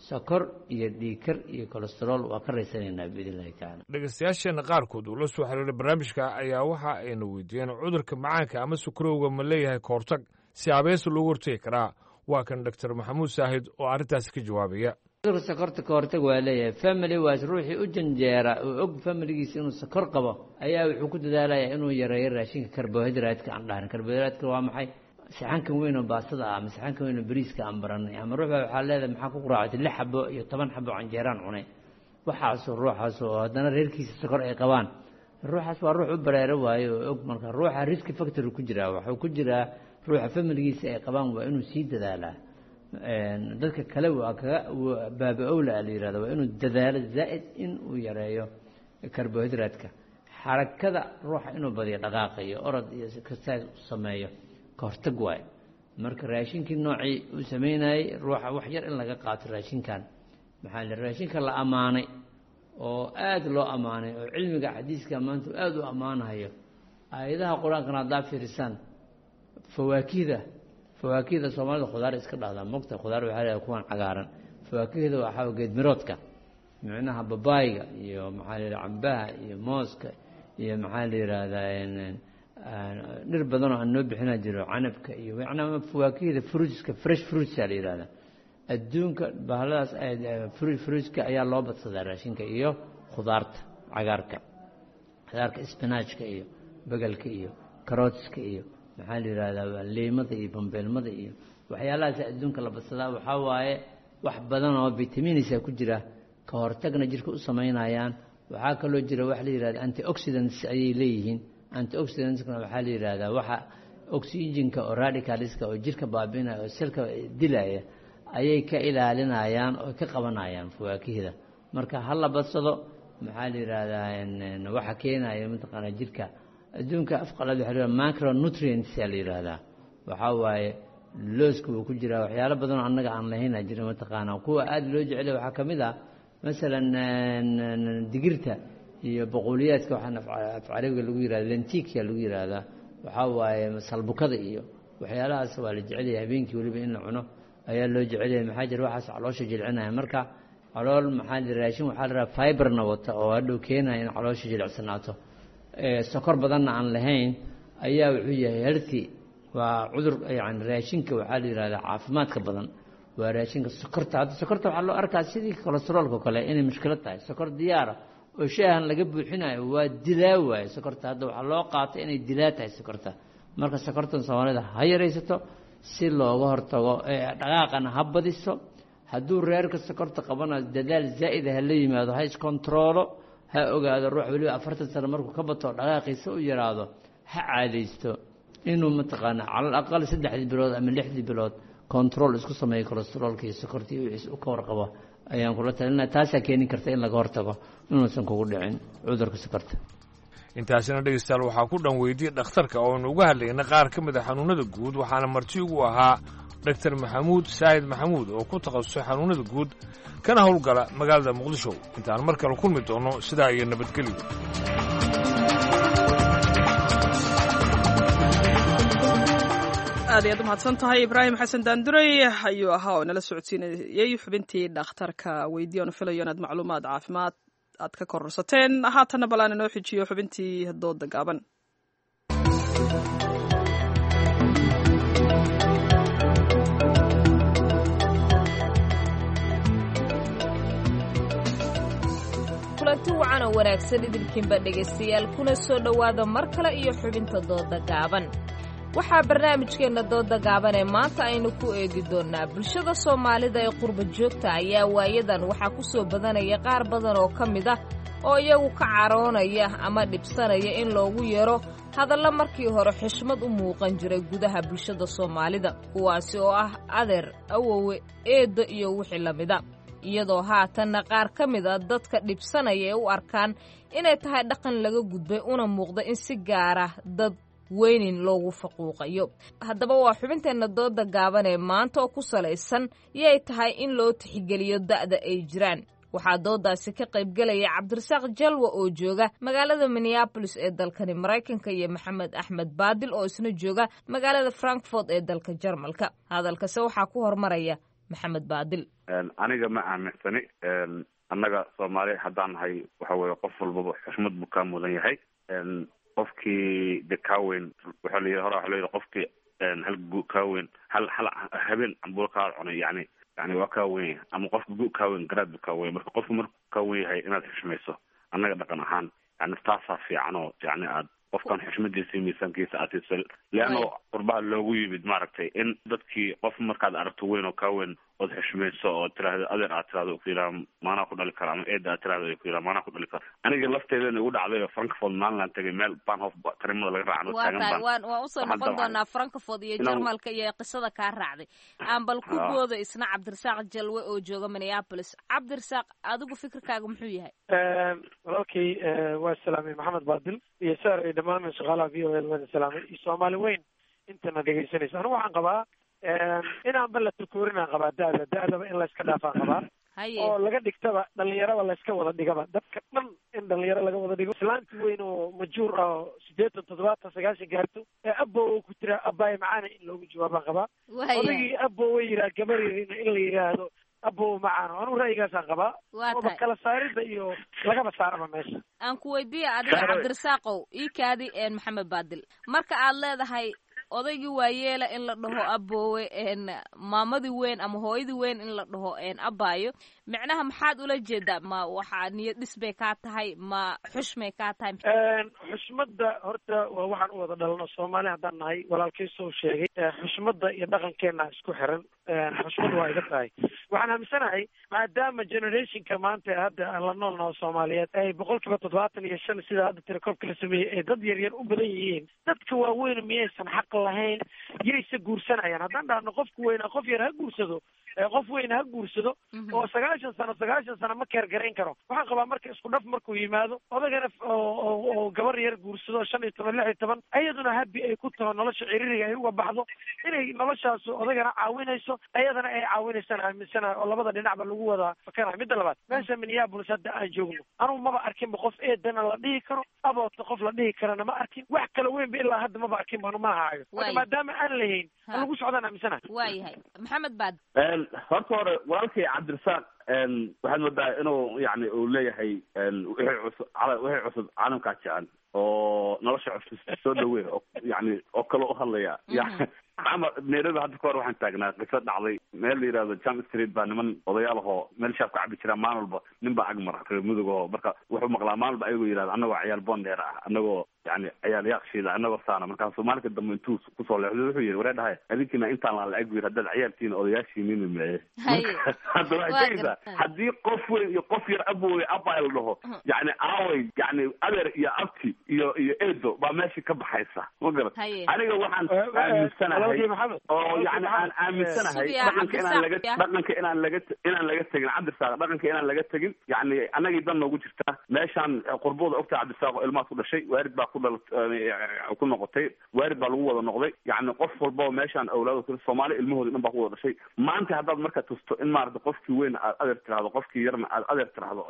sokor iyo dhiigkar iyo kolestarool waa ka raysanaynaa biidn illahi tacaala. Dhegeystayaasheenna qaarkood uu la soo xiriiray barnaamijka ayaa waxa ayna weydiiyeen cudurka macaanka ama sukarowga ma leeyahay kahortag si abees loogu hortegi karaa? Waa kan doctor Maxamuud Saahid oo arrintaasi ka jawaabaya. Cudurka sokorta ka hortag waa leeyahay. Family waas ruuxii u janjeera oo og familigiisa inuu sokor qabo ayaa wuxuu ku dadaalayaa inuu yareeyo raashinka karbohaydraytka aan dhahan. Karbohaydraytka waa maxay? Saxankan weyn oo baastada ah ama saxankan weyn oo bariiska aan baranay, ama ruux baa waxaa leedahay maxaa ku quraacatay lix xabo iyo toban xabo canjeeraan cunay. Waxaasoo ruuxaas oo haddana reerkiisa sokor ay qabaan, ruuxaas waa ruux u bareero waayo oo og. Marka ruuxa risk factor ku jiraa, waxuu ku jiraa ruuxa familigiisa ay qabaan waa inuu sii dadaalaa. Dadka kale waa kaga baaba-owla la yihahda waa inuu dadaalo zaa'id in uu yareeyo karbohaydraadka. Xarakada ruuxa inuu badiyo, dhaqaaqayo, orod iyo exercise u sameeyo, ka hortag waayo. Marka raashinkii noocii uu sameynayey ruuxa wax yar in laga qaato raashinkan, maxaa la raashinka la ammaanay oo aada loo ammaanay oo cilmiga xadiiska maanta aada u ammaanayo, aayadaha qur-aankana haddaa fiirisaan, fawaakihda fawaakihda soomaalida khudaar iska dhahdaa mogta. Khudaar waxaa leedahay kuwan cagaaran. Fawaakihda waxaa geedmiroodka, micnaha babaayga iyo maxaa la yidhaha cambaha iyo mooska iyo maxaa la yidhaahdaa dhir badan oo aan noo bixinaa jiro, canabka iyo macnaha fawaakihda fruitska, fresh fruitsa la yidhahdaa. Adduunka bahaladaas fruitska ayaa loo badsadaa raashinka iyo khudaarta cagaarka, khudaarka spinachka iyo bagalka iyo karootiska iyo maxaa la yidhahdaa liimada iyo bambeelmada iyo waxyaalahaas adduunka la badsadaa. Waxaa waaye wax badan oo vitaminisa ku jira, ka hortagna jirka u samaynayaan. Waxaa kaloo jira wax la yidhahda antioxidants ayay leeyihiin. Antioxidantskna waxaa la yidhahdaa waxa oxygenka oo radicalska oo jirka baabi'inaya oo selka dilaya ayay ka ilaalinayaan oo ka qabanayaan fawaakihda. Marka ha la badsado. Maxaa la yidhahdaa waxa keenaya mataqaanaa jirka adduunka afqalaad waxa la yidhahdaa macronutrients aa la yidhahdaa. Waxaa waaye looska wuu ku jiraa, waxyaalo badan oo annaga aan lahayn aa jira mataqaanaa. Kuwa aada loo jecelay waxaa ka mid ah masalan digirta iyo boqoliyaadka, waxaan af carabiga lagu yihahda lentikia lagu yihahdaa. Waxaa waaye salbukada iyo waxyaalahaas waa la jecelyahay, habeenkii weliba in la cuno ayaa loo jecelyahay. Maxaa jira waxaas caloosha jilcinaya. Marka calool maxaa jira raashin waxaa la rahaa fiberna wata oo hadhow keenaya in caloosha jilicsanaato, sokor badanna aan lahayn ayaa wuxuu yahay healthy. Waa cudur yani raashinka waxaa la yihahdaa caafimaadka badan waa raashinka sokorta. Hadda sokorta waxaa loo arkaa sidii kolesteroolka kale inay mushkilad tahay. Sokor diyaara oo shaahan laga buuxinayo waa dilaa waaye sokorta. Hadda waxaa loo qaatay inay dilaa tahay sokorta. Marka sokortan soomaalida ha yaraysato si looga hortago, dhaqaaqana ha badiso. Hadduu reerka sokorta qabanayo dadaal zaa'ida ha la yimaado, ha iskontaroolo, ha ogaado ruux weliba afartan sano markuu ka bato dhaqaaqiisa u yaraado, ha caadaysto inuu mataqaana calal aqal saddexdii bilood ama lixdii bilood control isku sameeyo kolesteroolka iyo sokorta iyo wixiis u ka warqabo ayaan kula talinaya. Taasaa keeni karta in laga hortago inuusan kugu dhicin cudurka sokorta. Intaasina dhegeystayaal waxaa ku dhan weydiiyey dhakhtarka oo aynu uga hadlayna qaar ka mid a xanuunada guud, waxaana marti ugu ahaa doctor Maxamuud Saahid Maxamuud oo ku takhasusay xanuunada guud kana howlgala magaalada Muqdisho. Intaan mar kale kulmi doono sidaa iyo nabadgelyo. Aad ayaad umahadsan tahay Ibraahim Xasan Daanduray ayuu ahaa oo nala socodsiinayey xubintii dhakhtarka weydiiya oonu filayo inaad macluumaad caafimaad aad ka kororsateen. Haatanna bal aan inoo xijiyo xubintii dooda gaaban. Kulanti wacan oo wanaagsan idinkiinba dhegaystayaal, kuna soo dhowaada mar kale iyo xubinta dooda gaaban. Waxaa barnaamijkeenna dooda gaaban ee maanta aynu ku eegi doonnaa bulshada Soomaalida ee qurba joogta ayaa waayadan waxaa ku soo badanaya qaar badan oo ka mid ah oo iyagu ka caroonaya ama dhibsanaya in loogu yeero hadallo markii hore xushmad u muuqan jiray gudaha bulshada Soomaalida, kuwaasi oo ah adeer, awowe, eeddo iyo wixii la mida, iyadoo haatanna qaar ka mid a dadka dhibsanaya ee u arkaan inay tahay dhaqan laga gudbay una muuqda in si gaara dad weynin loogu faquuqayo. Haddaba waa xubinteenna dooda gaaban ee maanta oo ku salaysan yay tahay in loo tixgeliyo da'da ay jiraan. Waxaa doodaasi ka qaybgelaya Cabdirasaaq Jalwa oo jooga magaalada Minneapolis ee dalkani Maraykanka iyo Maxamed Axmed Baadil oo isna jooga magaalada Frankfort ee dalka Jarmalka. Hadalkase waxaa ku hormaraya Maxamed Baadil. Aniga ma aaminsani. Annaga Soomaali haddaan nahay, waxa weeye qof walbaba xushmad buu kaa mudan yahay. Qofkii de kaa weyn, waxaa la yidhi hore, waxaa la yidhi qofkii hal gu kaa weyn, hal hal habeen cambuulo kaa cunay, yani yani waa kaa weyn yahay, ama qofka gu kaa weyn garaad buu kaa weyn. Marka qofku markuu kaa weyn yahay inaad xushmayso, annaga dhaqan ahaan yani taasaa fiican, oo yani aad qofkan xushmadiisa iyo miisaankiisa aad siiso, leanno qurbaha loogu yimid maaragtay in dadkii qof markaad aragto weyn oo kaa weyn ood xushmayso oo tiraahdo adeer, aad tirahdo ku yidhaha maanaa ku dhali kara, ama eeda aad tirahdo ku yidhaha maanaa ku dhali kara. Aniga lafteedana igu dhacday oo Frankfort maalinlaan tegay, meel Bahnhof tarimada laga raacan oo Waa taagan tahay baan waan waan usoo waxaan noqon damcay doonaa Frankfort iyo inaan Jarmalka iyo qisada kaa raacday. Aan bal ku Ah. boodo isna Cabdirasaaq Jalwe oo jooga Minneapolis. Cabdirasaaq, adigu fikirkaaga muxuu yahay? Walaalkay waa salaamay Maxamed Baadil iyo saar iyo dhammaan shaqaalaha V O A waan salaamay iyo Soomaali weyn intana dhegaysanaysa. Anigu waxaan qabaa inaanba la tukoorin aan qabaa da'da da'daba in layska dhaafaan qabaa Haye. oo laga dhigtaba dhalinyaraba layska wada dhigaba, dadka dhan in dhalinyaro laga wada dhigo. Islaanti weyn oo majuur ah oo siddeetan, toddobaatan, sagaashan gaarto ee abbo oo ku jira abbaay macaana in loogu jawaabaan qabaa. Waayahay. Odaygii abbo way yidhaha gabar yarina in la yidhaahdo abbo macaano. Anigu ra'yigaasaan qabaa Waa ooba tahay. kala saarida iyo lagaba saaraba meesha. Aan ku weydiiya adiga Saaroy. Cabdirasaaqow, ii kaadi een Maxamed Baadil, marka aad leedahay odaygii waayeela in la dhaho aboowe, een maamadii weyn ama hooyadii weyn in la dhaho een abaayo, micnaha maxaad ula jeedaa? Ma waxaa niyad dhis bay kaa tahay, ma xushmay kaa tahay? Xushmadda horta waa waxaan u wada dhalano Soomaali haddaan nahay. Walaalkay soo sheegay, xushmadda iyo dhaqankeena isku xiran. Xushmad waa iga tahay. Waxaan aaminsanahay maadaama generationka maanta hadda aan la nool naho Soomaaliyeed ay boqolkiiba toddobaatan iyo shan sida hadda tirakoobka la sameeyey ay dad yaryar u badan yihiin, dadka waaweyn miyaysan xaq lahayn? Yayse guursanayaan? Haddaan dhahno qofku weynaa qof yar ha guursado, ee qof weyn ha guursado oo sagaashan sano sagaashan sano ma keer garayn karo. Waxaan qabaa marka isku dhaf markuu yimaado odagana f- oo oo oo gabar yar guursado shan iyo toban, lix iyo toban, ayaduna habi ay ku taho nolosha ciriiriga ay uga baxdo, inay noloshaas odagana caawinayso ayadana ay caawinaysaan aaminsanahay, oo labada dhinacba lagu wada fakarayo. Midda labaad, meesha Minneapolis hadda aan joogno anugu maba arkinba qof eedana la dhihi karo, aboodka qof la dhihi karana ma arkin. Wax kala weynba ilaa hadda maba arkin banu ma haayo. Marka Waay. maadaama aan lahayn Ha. lagu socdaan aaminsanahay. Waayahay, Maxamed Baadil. Horta hore walaalkay Cabdirasaaq waxaad moodaa inuu yani uu leeyahay wixii cusub wixii cusub caalamkaa jecel oo nolosha cusub soo dhaweyn oo yani oo kale u hadlaya. Yani ama Nairobi hadda ka hor waxaan taagnaa qiso dhacday meel la yidhahdo Jam Street baa niman odayaal ahoo meel shaab ka cabi jiraa. Maalin walba nin baa agmara reer Mudug oo marka wuxuu maqlaa maalin walba ayagoo yidhahdo annagoo ciyaal boondheer ah, annagoo yani ciyaal yaaqshiida, annagoo saana. Markaasuu maalinka dambe intuu kusoo leexdo wuxuu yidhi, waree dhahay adinkiina intaan laan la-eg buu yidhi, haddaad ciyaaltiina odayaashiinina meeye. Hadda waxay tegaysaa haddii qof weyn iyo qof yar abowey abay la dhaho, yani aaway yani adeer iyo abti iyo iyo eedo baa meesha ka baxaysa, ma garat? Haye. Aniga waxaan aaminsanahay Walaalkay Maxamed. oo yani aan aaminsanahay Sugiya, dhaqanka inaan laga Cabdirasaaq. dhaqanka inaan laga inaan laga tegin, Cabdirasaaq, dhaqanka inaan laga tegin. Yani annagii dan noogu jirta meeshaan qurbooda ogta Cabdirasaaq oo ilmahaas ku dhashay, waarid baa ku dhal ku noqotay, waarid baa lagu wada noqday. Yani qof walbaba meeshaan awlaado kale Soomaali ilmahooda dhan baa ku wada dhashay. Maanta haddaad marka tusto in maarata qofkii weyn aad adeer tiraahdo, qofkii yarna aad adeer tiraahdo,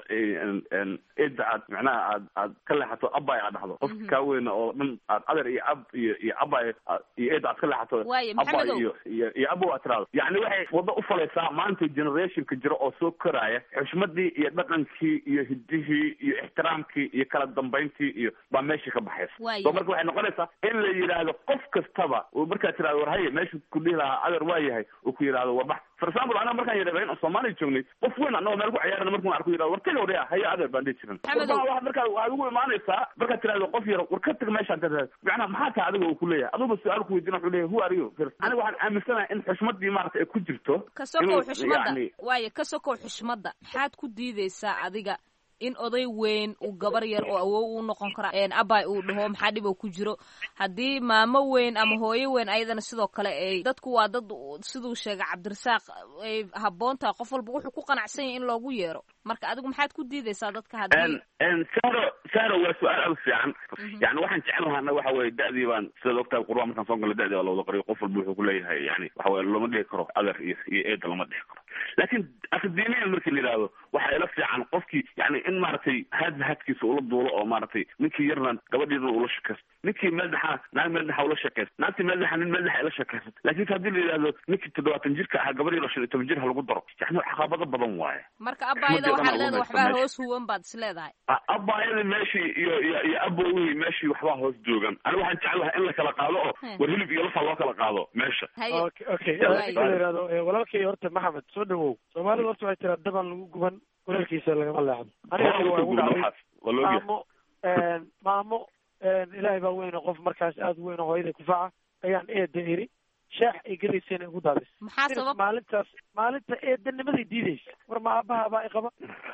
eedda aad macnaha aad aad ka leexato, abay aad dhahdo, qofki kaa weyn oo dhan aad adeer iyo ab iyo iyo abay iyo eedda aad ka leexato, Waaye, abay Maxamedow. iyo iyo iyo abow aad tiraahdo, yani waxay waddo u falaysaa maanta generationka jiro oo soo koraya xushmadii iyo dhaqankii iyo hidihii iyo ixtiraamkii iyo kala dambayntii iyo baa meesha ka baxaysa. Waaye. So marka waxay noqonaysaa in la yidhaahdo qof kastaba oo markaad tirahdo war haye, meesha ku dhihi lahaa adeer waa yahay, uu ku yidhaahdo war bax For example, anaa markaan yidhahda in Soomaaliya joognay, qof weyn annagoo meel ku ciyaarana markuu arko yidhahdo war taga odaya haya adeer baan dhihi jirin. Warbaha waxaad markaa waxaad ugu imaanaysaa markaad tirahdo qof yar war ka tag meeshaan ka tag, macnaha maxaa tahay adiga uu ku leeyahay, aduba su-aal ku weydiina wuxuu leeyahay who are you first. Aniga waxaan aaminsanahay in xushmadii maaragtay ay ku jirto ka sokow inuu xushmadda yacni waayo ka sokow xushmadda maxaad ku diideysaa adiga in oday weyn uu gabar yar oo awow uu noqon kara een abay uu dhaho maxaa dhib oo ku jiro haddii maamo weyn ama hooyo weyn ayadana sidoo kale ay dadku waa dad siduu sheegay Cabdirasaaq ay habboon tahay qof walba wuxuu ku qanacsan yahay in loogu yeero. Marka adigu maxaad ku diideysaa dadka haddii n saro saro waa su-aal aad u fiican. Yani waxaan jecel lahaana waxa weye da'dii baan sidaad ogtahay qurba markaan soo galay da'dii baa la wada qoriyo, qof walba wuxuu kuleeyahay yani waxa weye lama dhihi karo adeer iyo iyo eeda lama dhihi karo, laakiin akademiyan markii la yidhaahdo waxaa ila fiican qofkii yani in maaragtay haadba haadkiisa ula duulo oo maaragtay ninkii yarna gabadhiina ula shakaysto, ninkii meel dhexa naag meel dhexa ula shakaysto, naagtii meel dhexa nin meel dhexa ila shakaysto. Laakiin haddii la yidhaahdo ninkii toddobaatan jirka ahaa gabadh yar oo shan iyo toban jir ha lagu daro, yani caqabado badan waaye. Marka abaayada waxaad leedahay waxbaa hoos huwan baad is leedahay. Abaayadii meeshii iyo iyo iyo abowihii meeshii waxbaa hoos joogan. Aniga waxaan jeclahay in la kala qaado oo war hilib iyo lafa loo kala qaado meesha. Okay, okay, ninka la yidhahdo eh, walaalkay horta Maxamed soo dhawow. Soomaalida horta waxay tiraa dabaan lagu guban kuleelkiisa lagama leexdo. Aniga Waa waa lagu igu guban dhacday waxaas, waa la ogyahay. Maamo een, maamo een, ilaahay baa weyn oo qof markaas aada u weyn oo hooyaday kufaca ayaan eeda iri shaax ay gadaysayna igu daadis. Maxaa sabab maalintaas maalinta eedanimaday diidaysa war ma aabaha baa iqaba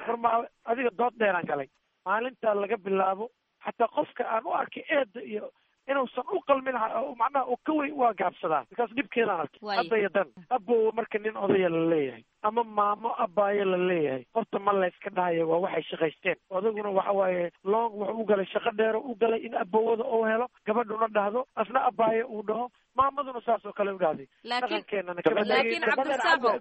war ma adiga dood dheeraan galay. Maalintaa laga bilaabo xataa qofka aan u arkay eeda iyo inuusan u qalmin ha- oo macnaha uu ka weyn waa gaabsadaa because dhibkeedaan arkay. Waaye. Hadda iyo dan abow marka nin odaya la leeyahay ama maamo abaayo la leeyahay horta ma layska dhahayo waa waxay shaqaysteen. Odaguna waxa waaye long wuxuu u galay shaqo dheero u galay in abowada uu helo, gabadhuna dhahdo asna abaayo uu dhaho, maamaduna saas oo kale u dhahday. Laakiin- dhaqankeenana kama laakiin tegin. Cabdirasaaqow-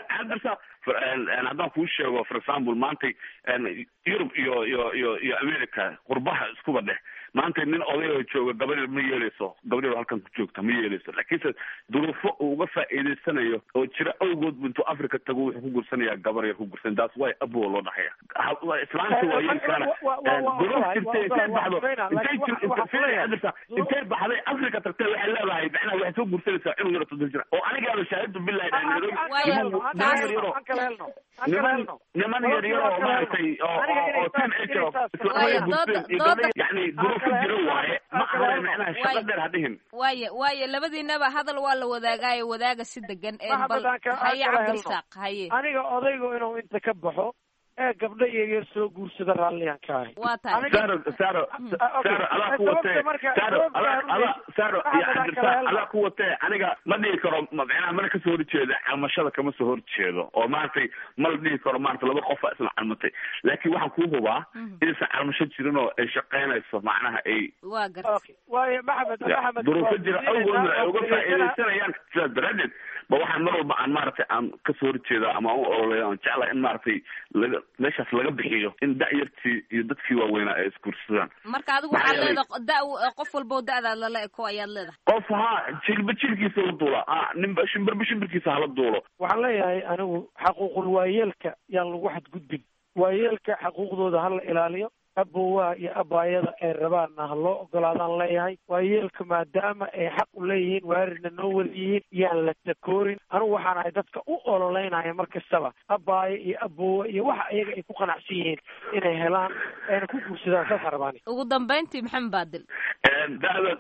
Cabdirasaaq, for- en- en haddaan kuu sheego for example maantay en Yurub iyo iyo iyo iyo America qurbaha iskuba dheh, maanta nin odayoo jooga gabar yar ma yeeleyso, gabar yar oo halkan ku joogta ma yeeleyso, laakiinse duruufo uu uga faa'iidaysanayo oo jira awgood bu intuu Africa tago wuxuu ku gursanayaa gabar yar ku gursan, taas way abow loo dhaxaya. Ha- waa islaanta waa yeeli karana. Wa- wa- En wa- duruuf wa- jirtay wa- intay wa- baxdo wa- intay laakiin jir- waxa- waxa intay kuleeyahay. Cabdirasaaq, intay baxday Africa tagtay waxay leedahay macnaha waxay soo gursanaysaa cunug yar oo toddon jir ah. Oo anigaaba shaahidu billahi Aan- Nairobi aan Waayo, kala helno, aan kala niman helno, yar yaroo aan kala helno, aan kala niman helno. niman yar yar oo maaragtay oo Aniga oo inay oo saas- teenage inay oo saas islaamada Waayo, guursadeen dooda- iyo dooda- gabdhaha yacni duruufo jiro waaye ma ahane macnaha shaqo Waayo. dheer ha dhihin. Waaye waaye labadiinaba hadal waa la wadaagaayo wadaaga si degan een Maxamed, bal aan ka- aan haye kala helno. Cabdirasaaq haye. Aniga odaygu inuu inta ka baxo ee gabdho yaryar soo guursada raalliyaan ka ahay. Waa tahay. Aniga- Saro Saro Ah, okay. Saro adaa ku Sababta watee marka- Saro sababta adaa aan u adaa Saro iyo Maxamed, aan kala Cabdirasaaq helno. adaa ku watee aniga ma dhihi karo ma- macnaha mana kasoo horjeedo calmashada kama soo horjeedo oo maaragtay ma la dhihi karo maaragtay laba qof baa isla calmatay, laakiin waxaan kuu hubaa inaysan calmasho jirin oo ay shaqaynayso macnaha ay waa gartay. Okay. Waayo Maxamed, Ya, Maxamed duruufo waa jira ku awgoodna siinaysaa, ay waa uga ku dhegeysanaa. faa'iidaysanayaan. Sidaas daraaddeed ba waxaan mar walba aan maaragtay aan kasoo horjeeda ama aan u ololeeya aan jeclahay in maaragtay laga meeshaas laga bixiyo in da'yartii iyo dadkii waaweynaa ay isguursadaan. Marka adigu Maxaa waxaad yeelay- leedahay da qof walbo da'daad lala eko ayaad leedahay. Qof ha jilba jilkiisa la duula ha ninba shimbirba shimbirkiisa hala duulo. Waxaan leeyahay anigu xaquuqul waayeelka yaan lagu xadgudbin, waayeelka xaquuqdooda ha la ilaaliyo, abowaha iyo abaayada ay rabaanna ha loo ogolaadaan leeyahay. Waayeelka maadaama ay xaq u leeyihiin waaridna noo wada yihiin yaan la takoorin. Anigu waxaan ahay dadka u ololeynaya mar kastaba abaayo iyo abowa iyo waxa iyaga ay ku qanacsan yihiin inay helaan ayna ku guursadaan, saasaan rabaani. Ugu dambayntii Maxamed Baadil. En da'da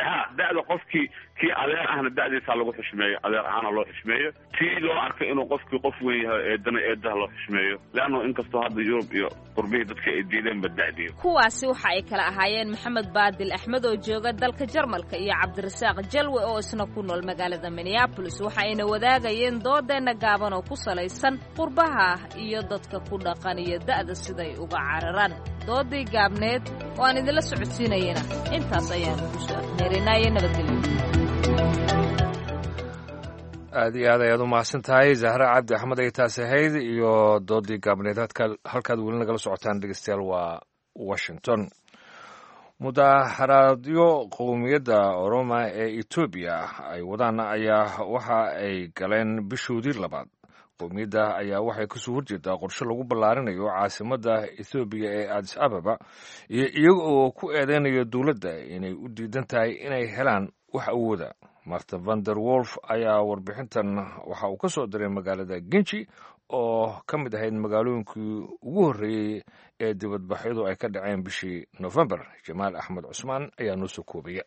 ha da'da qofkii kii adeer ahna da'diisa ha lagu xushmeeyo, adeer ahaana loo xushmeeyo, tii loo arkay inuu qofkii qof weyn yahay eedana eedaha loo xushmeeyo, leanno inkastoo hadda Yurub iyo qurbihii dadka ay diideenba da'diyo. Kuwaasi waxa ay kala ahaayeen Maxamed Baadil Axmed oo jooga dalka Jarmalka iyo Cabdirasaaq Jalwe oo isna ku nool magaalada Minneapolis. Waxa ayna wadaagayeen doodeenna gaaban oo ku salaysan qurbaha iyo dadka ku dhaqan iyo da'da siday uga cararaan. Doodii gaabneed oo aan idinla socodsiinayena intaas ayaan kusoo afmeerinaya. Nabadgelyo. Aad iyo aad ayaad u mahadsan tahay Zahra Cabdi Axmed ay taasi ahayd iyo doodii gaabneed. Halka- halkaad weli nagala socotaan dhegeystayaal waa Washington. Mudaharaadyo qowmiyadda Oroma ee Etoobiya ay wadaan ayaa waxa ay galeen bishoodii labaad. Qowmiyadda ayaa waxay kasoo horjeedaa qorshe lagu ballaarinayo caasimadda Ethoobiya ee Addis Ababa iyo iyaga oo ku eedeynaya dowladda inay u diidan tahay inay helaan wax awooda. Martin Vander Wolf ayaa warbixintan waxa uu ka soo diray magaalada Genji oo ka mid ahayd magaalooyinkii ugu horreeyey ee dibadbaxyadu ay ka dhaceen bishii Nofembar. Jamaal Axmed Cusmaan ayaa noo soo koobaya.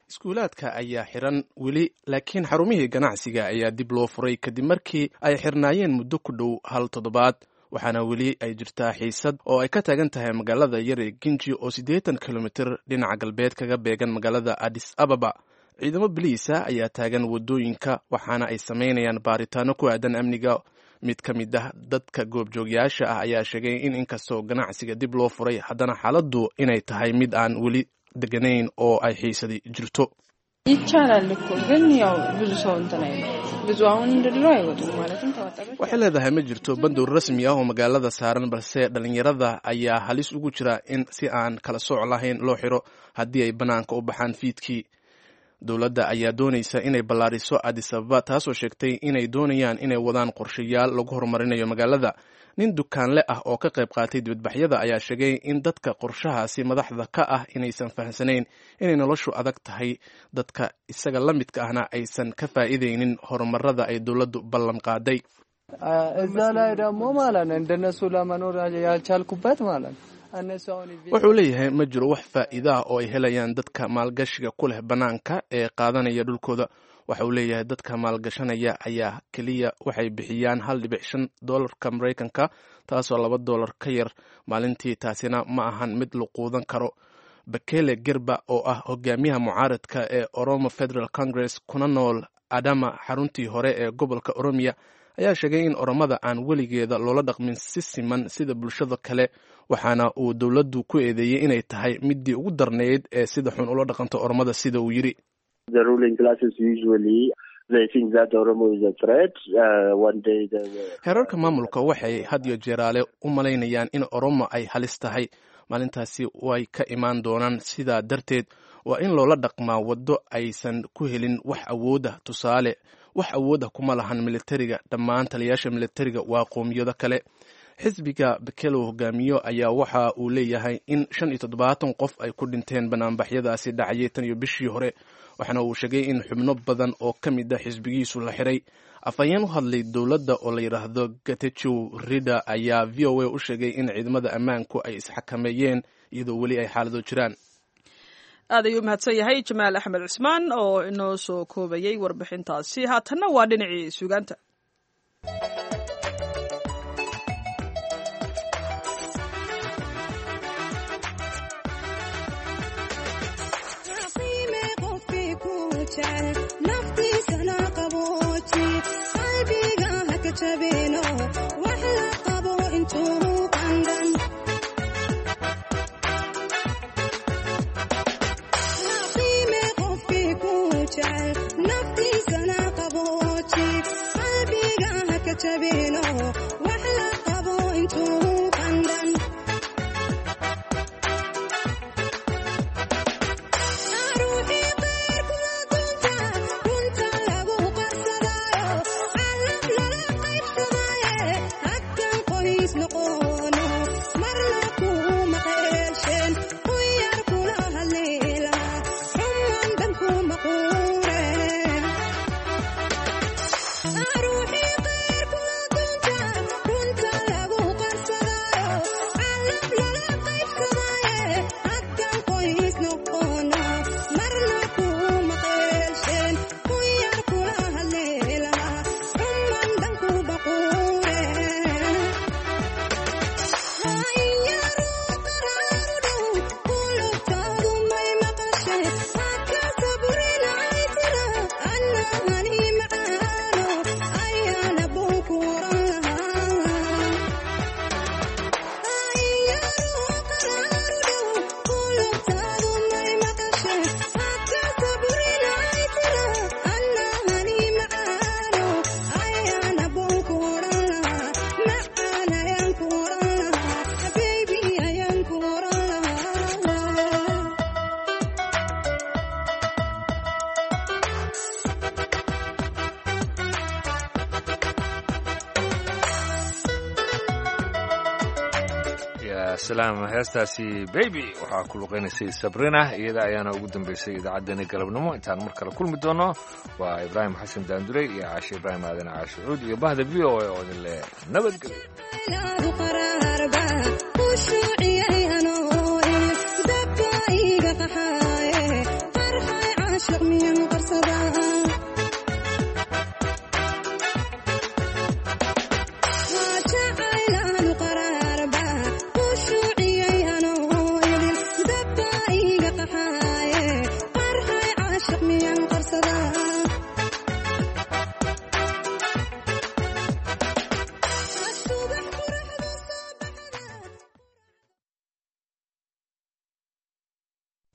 Iskuulaadka ayaa xiran weli, laakiin xarumihii ganacsiga ayaa dib loo furay kadib markii ay xirnaayeen muddo ku dhow hal toddobaad, waxaana weli ay jirtaa xiisad oo ay ka taagan tahay magaalada yar ee Genji oo siddeetan kilomitir dhinaca galbeed kaga beegan magaalada Addis Ababa. Ciidamo biliisa ayaa taagan waddooyinka, waxaana ay samaynayaan baaritaano ku aadan amniga. Mid ka mid ah dadka goobjoogyaasha ah ayaa sheegay in inkastoo ganacsiga dib loo furay, haddana xaaladdu inay tahay mid aan weli deganayn oo ay xiisadi jirto. ይቻላል እኮ ግን ያው ብዙ ሰው እንትን አይልም። ብዙ አሁን እንደ ድሮ አይወጡም ማለትም ተወጠበች Waxay leedahay ma jirto bandow rasmi ah oo magaalada saaran, balse dhalinyarada ayaa halis ugu jira in si aan kala sooc lahayn loo xiro haddii ay bannaanka u baxaan fiidkii. Dowladda ayaa doonaysa inay ballaariso Addis Ababa, taasoo sheegtay inay doonayaan inay wadaan qorshayaal lagu horumarinayo magaalada. Nin dukaanle ah oo ka qayb qaatay dibadbaxyada ayaa sheegay in dadka qorshahaasi madaxda ka ah inaysan fahamsanayn inay noloshu adag tahay, dadka isaga la midka ahna aysan ka faa'iidaynin horumarada ay dowladdu ballan qaaday. እዛ ላይ ደግሞ ማለት ነው እንደነሱ ለመኖር ያልቻልኩበት ማለት ነው። እነሱ አሁን Wuxuu leeyahay ma jiro wax faa'iida ah oo ay helayaan dadka maalgashiga ku leh bannaanka ee qaadanaya dhulkooda. Waxa uu leeyahay dadka maalgashanaya ayaa keliya waxay bixiyaan hal dhibic shan doolarka Maraykanka, taasoo laba doolar ka yar maalintii, taasina ma ahan mid la quudan karo. Bekele Gerba oo ah hogaamiyaha mucaaradka ee Oromo Federal Congress kuna nool Adama, xaruntii hore ee gobolka Oromiya, ayaa sheegay in Oromada aan weligeeda loola dhaqmin si siman sida bulshada kale, waxaana uu dowladdu ku eedeeyey inay tahay midii ugu darnayd ee sida xun ula dhaqanto Oromada, sida uu yidhi. The ruling classes usually they think that Oromo is a threat. Uh, one day they were Heerarka maamulka waxay had iyo jeeraale u malaynayaan in Oromo ay halis tahay, maalintaasi way ka imaan doonaan, sidaa darteed waa in loola dhaqmaa waddo aysan ku helin wax awooda. Tusaale, wax awooda kuma lahan militariga, dhammaan taliyaasha militariga waa qoomiyado kale. Xisbiga Bekelo hogaamiyo ayaa waxa uu leeyahay in shan iyo toddobaatan qof ay ku dhinteen banaanbaxyadaasi dhacayay tan iyo bishii hore, waxaana uu sheegay in xubno badan oo ka mid a xisbigiisu la xiray. Afhayeen u hadlay dowladda oo la yidhaahdo Getachew Rida ayaa V O A u sheegay in ciidamada ammaanku ay isxakameeyeen iyadoo weli ay xaalado jiraan. Aad ayuu mahadsan yahay Jamaal Axmed Cusmaan oo inoo soo koobayay warbixintaasi. Haatanna waa dhinacii suugaanta. روحي غير كل Salaam, heestaasi Baby waxaa ku luqaynaysay Sabrina, iyada ayaana ugu dambaysay idaacaddeenii galabnimo. Intaan mar kale kulmi doono, waa Ibraahim Xasan Daandurey iyo Caashe Ibraahim Aadan Caashe Cuud iyo bahda V O A oo idin leh nabadgelyo.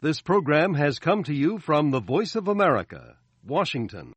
This program has come to you from the Voice of America, Washington.